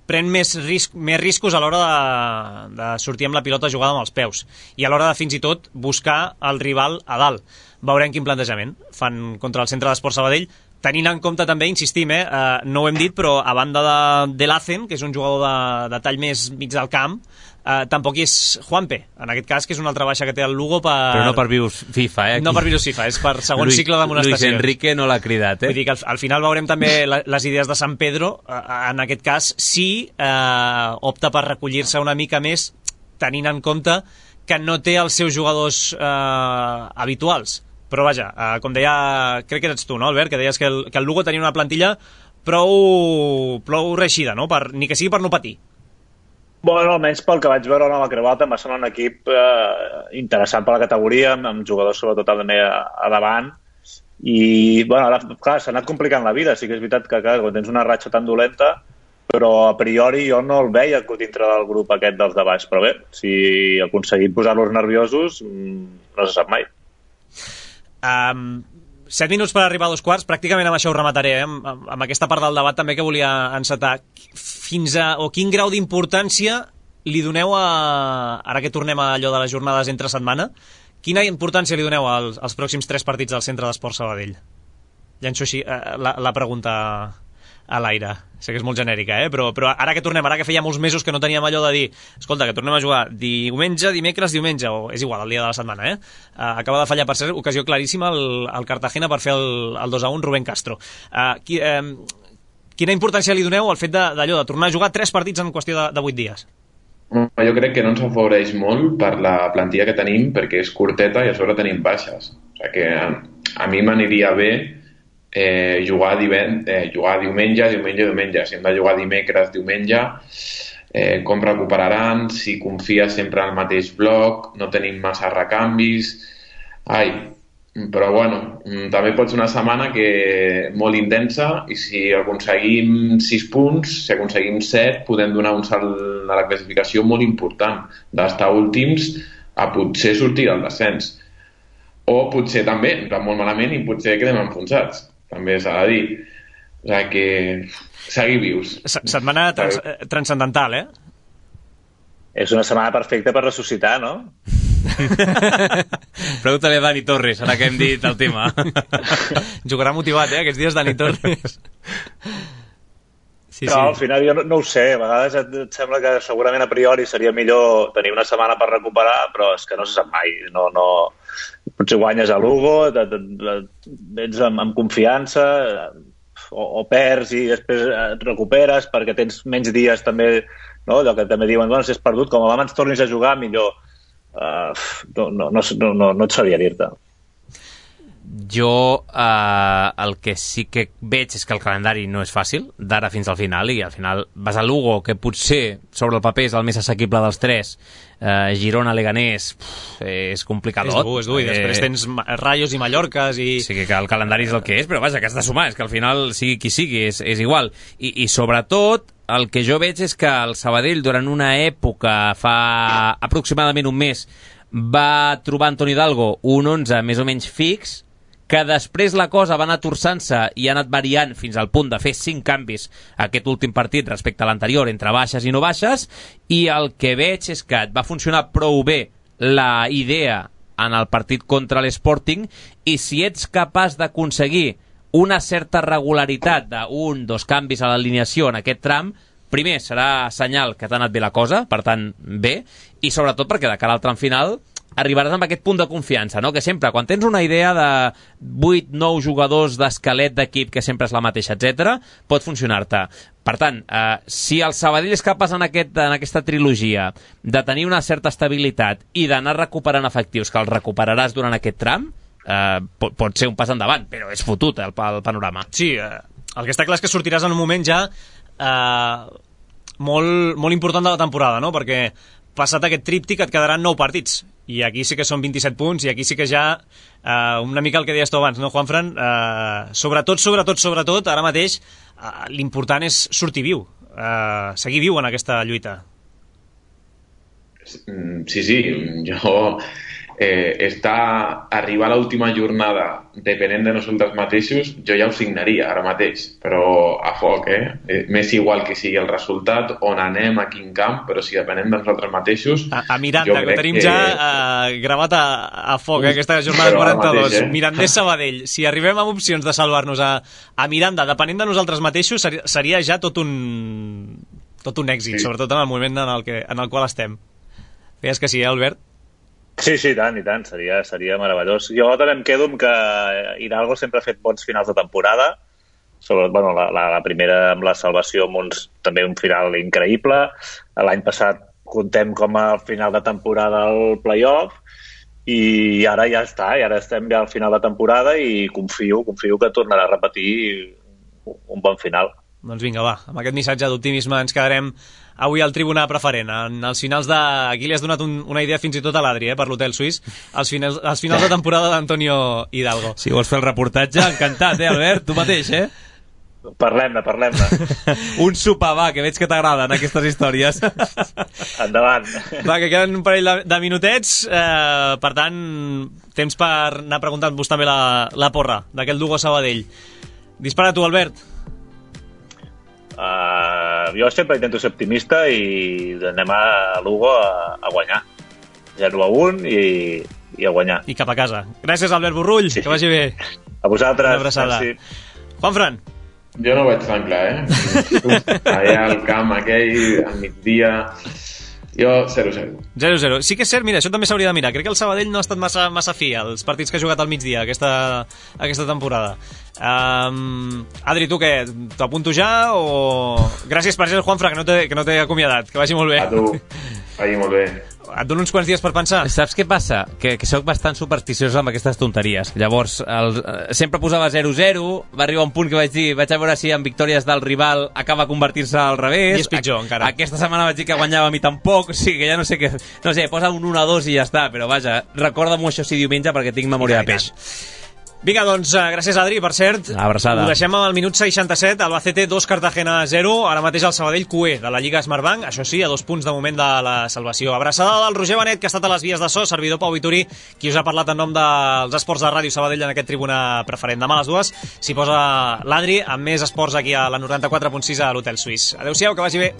pren més, risc, més riscos a l'hora de, de sortir amb la pilota jugada amb els peus i a l'hora de fins i tot buscar el rival a dalt. Veurem quin plantejament fan contra el Centre d'Esport Sabadell, tenint en compte també, insistim, eh, uh, no ho hem dit, però a banda de, de l'Acen, que és un jugador de, de tall més mig del camp, uh, tampoc hi és Juanpe, en aquest cas, que és una altra baixa que té el Lugo per... Però no per virus FIFA, eh? Aquí. No per virus FIFA, és per segon Luis, cicle d'amonestacions. Luis Enrique no l'ha cridat, eh? Vull dir que al, al final veurem també la, les idees de San Pedro, uh, en aquest cas, sí uh, opta per recollir-se una mica més, tenint en compte que no té els seus jugadors uh, habituals. Però vaja, eh, com deia, crec que eres tu, no, Albert, que deies que el, que el Lugo tenia una plantilla prou, prou reixida, no? Per, ni que sigui per no patir. Bueno, almenys pel que vaig veure a la Creuata em va semblar un equip eh, interessant per la categoria, amb, amb jugadors sobretot també a, a davant, i bueno, ara, clar, s'ha anat complicant la vida, sí que és veritat que clar, quan tens una ratxa tan dolenta, però a priori jo no el veia dintre del grup aquest dels de baix, però bé, si aconseguim posar-los nerviosos no se sap mai. Um, set minuts per arribar a dos quarts, pràcticament amb això ho remataré, eh? amb, amb aquesta part del debat també que volia encetar. Fins a, o quin grau d'importància li doneu a, ara que tornem a allò de les jornades entre setmana, quina importància li doneu als, als pròxims tres partits del Centre d'Esport Sabadell? Llanço així eh, la, la pregunta a l'aire. Sé que és molt genèrica, eh? però, però ara que tornem, ara que feia molts mesos que no teníem allò de dir escolta, que tornem a jugar diumenge, dimecres, diumenge, o és igual, el dia de la setmana, eh? Uh, acaba de fallar, per ser ocasió claríssima el, el Cartagena per fer el, el dos a un Rubén Castro. Uh, qui, um, quina importància li doneu al fet d'allò, de, de tornar a jugar tres partits en qüestió de, de vuit dies? Jo crec que no ens afavoreix molt per la plantilla que tenim, perquè és curteta i a sobre tenim baixes. O sigui que a, a mi m'aniria bé Eh, jugar, divent, eh, jugar diumenge, diumenge, diumenge. Si hem de jugar dimecres, diumenge, eh, com recuperaran, si confia sempre en el mateix bloc, no tenim massa recanvis. Ai, però bueno, també pot ser una setmana que molt intensa i si aconseguim sis punts, si aconseguim set, podem donar un salt a la classificació molt important, d'estar últims a potser sortir del descens. O potser també, molt malament, i potser quedem enfonsats, també s'ha de dir. O sigui que seguir vius. Setmana trans transcendental, eh? És una setmana perfecta per ressuscitar, no? Pregunta-li a Dani Torres, ara que hem dit el tema. Jugarà motivat, eh, aquests dies, Dani Torres. Sí, no, sí. Al final jo no, no ho sé, a vegades et, et sembla que segurament a priori seria millor tenir una setmana per recuperar, però és que no se sap mai. No, no... Potser guanyes a Lugo, vens amb, amb confiança, o, o perds i després et recuperes perquè tens menys dies també, no? Allò que també diuen, bueno, si has perdut, com abans tornis a jugar, millor. Uh, no, no, no, no, no et sabria dir-te. Jo eh, el que sí que veig és que el calendari no és fàcil d'ara fins al final, i al final vas a Lugo, que potser sobre el paper és el més assequible dels tres, eh, Girona, Leganés, pff, és complicadot. És dur, és dur, i després tens Rayos i Mallorques i... Sí, que el calendari és el que és, però vaja, que has de sumar, és que al final sigui qui sigui, és, és igual. I, I sobretot el que jo veig és que el Sabadell durant una època, fa aproximadament un mes, va trobar Antoni Hidalgo un onze més o menys fix, que després la cosa va anar torçant-se i ha anat variant fins al punt de fer cinc canvis aquest últim partit respecte a l'anterior, entre baixes i no baixes, i el que veig és que et va funcionar prou bé la idea en el partit contra l'Sporting, i si ets capaç d'aconseguir una certa regularitat d'un, dos canvis a l'alineació en aquest tram, primer serà senyal que t'ha anat bé la cosa, per tant bé, i sobretot perquè de cara al tram final arribaràs amb aquest punt de confiança, no? Que sempre, quan tens una idea de vuit nou jugadors d'esquelet d'equip, que sempre és la mateixa, etcètera, pot funcionar-te. Per tant, eh, si el Sabadell és capaç en, aquest, en aquesta trilogia de tenir una certa estabilitat i d'anar recuperant efectius, que els recuperaràs durant aquest tram, eh, pot, pot ser un pas endavant, però és fotut el, el panorama. Sí, eh, el que està clar és que sortiràs en un moment ja eh, molt, molt important de la temporada, no? Perquè passat aquest tríptic et quedaran nou partits, i aquí sí que són vint-i-set punts, i aquí sí que ja eh, una mica el que deies tu abans, no, Juanfran? Eh, sobretot, sobretot, sobretot, ara mateix eh, l'important és sortir viu, eh, seguir viu en aquesta lluita. Sí, sí, jo eh, està arribar a l'última jornada depenent de nosaltres mateixos, jo ja ho signaria ara mateix, però a foc, eh? M'és igual que sigui el resultat, on anem, a quin camp, però si depenem de nosaltres mateixos... A, a Miranda, que tenim que... ja eh, gravat a, a foc, eh, aquesta jornada quaranta-dos. Mateix, eh? Mirandés Sabadell. Si arribem amb opcions de salvar-nos a, a Miranda, depenent de nosaltres mateixos, seria, seria ja tot un, tot un èxit, sí. Sobretot en el moment en el, que, en el qual estem. Feies que sí, eh, Albert? Sí, sí, tant, i tant, seria, seria meravellós. Jo també em quedo amb que Hidalgo sempre ha fet bons finals de temporada, sobre, bueno, la, la, la primera amb la salvació amb uns, també un final increïble. L'any passat contem com a final de temporada al play-off, i ara ja està, i ara estem ja al final de temporada i confio, confio que tornarà a repetir un bon final. Doncs vinga, va, amb aquest missatge d'optimisme ens quedarem avui al Tribuna Preferent. En els finals de... Aquí li has donat un, una idea fins i tot a l'Adri, eh, per l'Hotel Suís. Els finals, els finals de temporada d'Antonio Hidalgo. Si vols fer el reportatge, encantat, eh, Albert? Tu mateix, eh? Parlem-ne, parlem-ne. Un sopar, va, que veig que t'agraden aquestes històries. Endavant. Va, que queden un parell de, de minutets. Eh, per tant, temps per anar preguntant-vos també la, la porra d'aquest Lugo Sabadell. Dispara tu, Albert. Uh, jo sempre intento ser optimista i anem a Lugo a, a guanyar zero a un i, i a guanyar i cap a casa. Gràcies, Albert Burrull, sí. Que vagi bé. A vosaltres. Una abraçada. Juanfran. Jo no ho veig tan clar, eh? Allà al camp aquell al migdia, jo zero a zero. zero a zero. Sí que és cert, mira, això també s'hauria de mirar. Crec que el Sabadell no ha estat massa, massa fi als partits que ha jugat al migdia aquesta, aquesta temporada. Um, Adri, tu què? T'apunto ja o... Gràcies per ser el Juanfra, que no t'he no acomiadat. Que vagi molt bé. A tu. Vagi molt bé. et dono uns quants dies per pensar. Saps què passa? Que, que sóc bastant supersticiós amb aquestes tonteries. Llavors, el, sempre posava zero zero, va arribar un punt que vaig dir, vaig a veure si en victòries del rival acaba convertir-se al revés. I és pitjor, a, encara. Aquesta setmana vaig dir que guanyava a mi tampoc, o sigui que ja no sé què... No sé, posa un un a dos i ja està, però vaja, recorda-m'ho això si diumenge perquè tinc memòria de peix. Vinga, doncs, gràcies, Adri, per cert. Abraçada. Ho deixem amb el minut seixanta-set, Albacete dos, Cartagena zero, ara mateix el Sabadell Q E de la Lliga Smartbank, això sí, a dos punts de moment de la salvació. Abraçada del Roger Benet, que ha estat a les vies de so, servidor Pau Vituri, qui us ha parlat en nom dels esports de Ràdio Sabadell en aquest Tribuna Preferent. Demà a les dues s'hi posa l'Adri amb més esports aquí a la noranta-quatre punt sis a l'Hotel Suís. Adéu-siau, que vagi bé.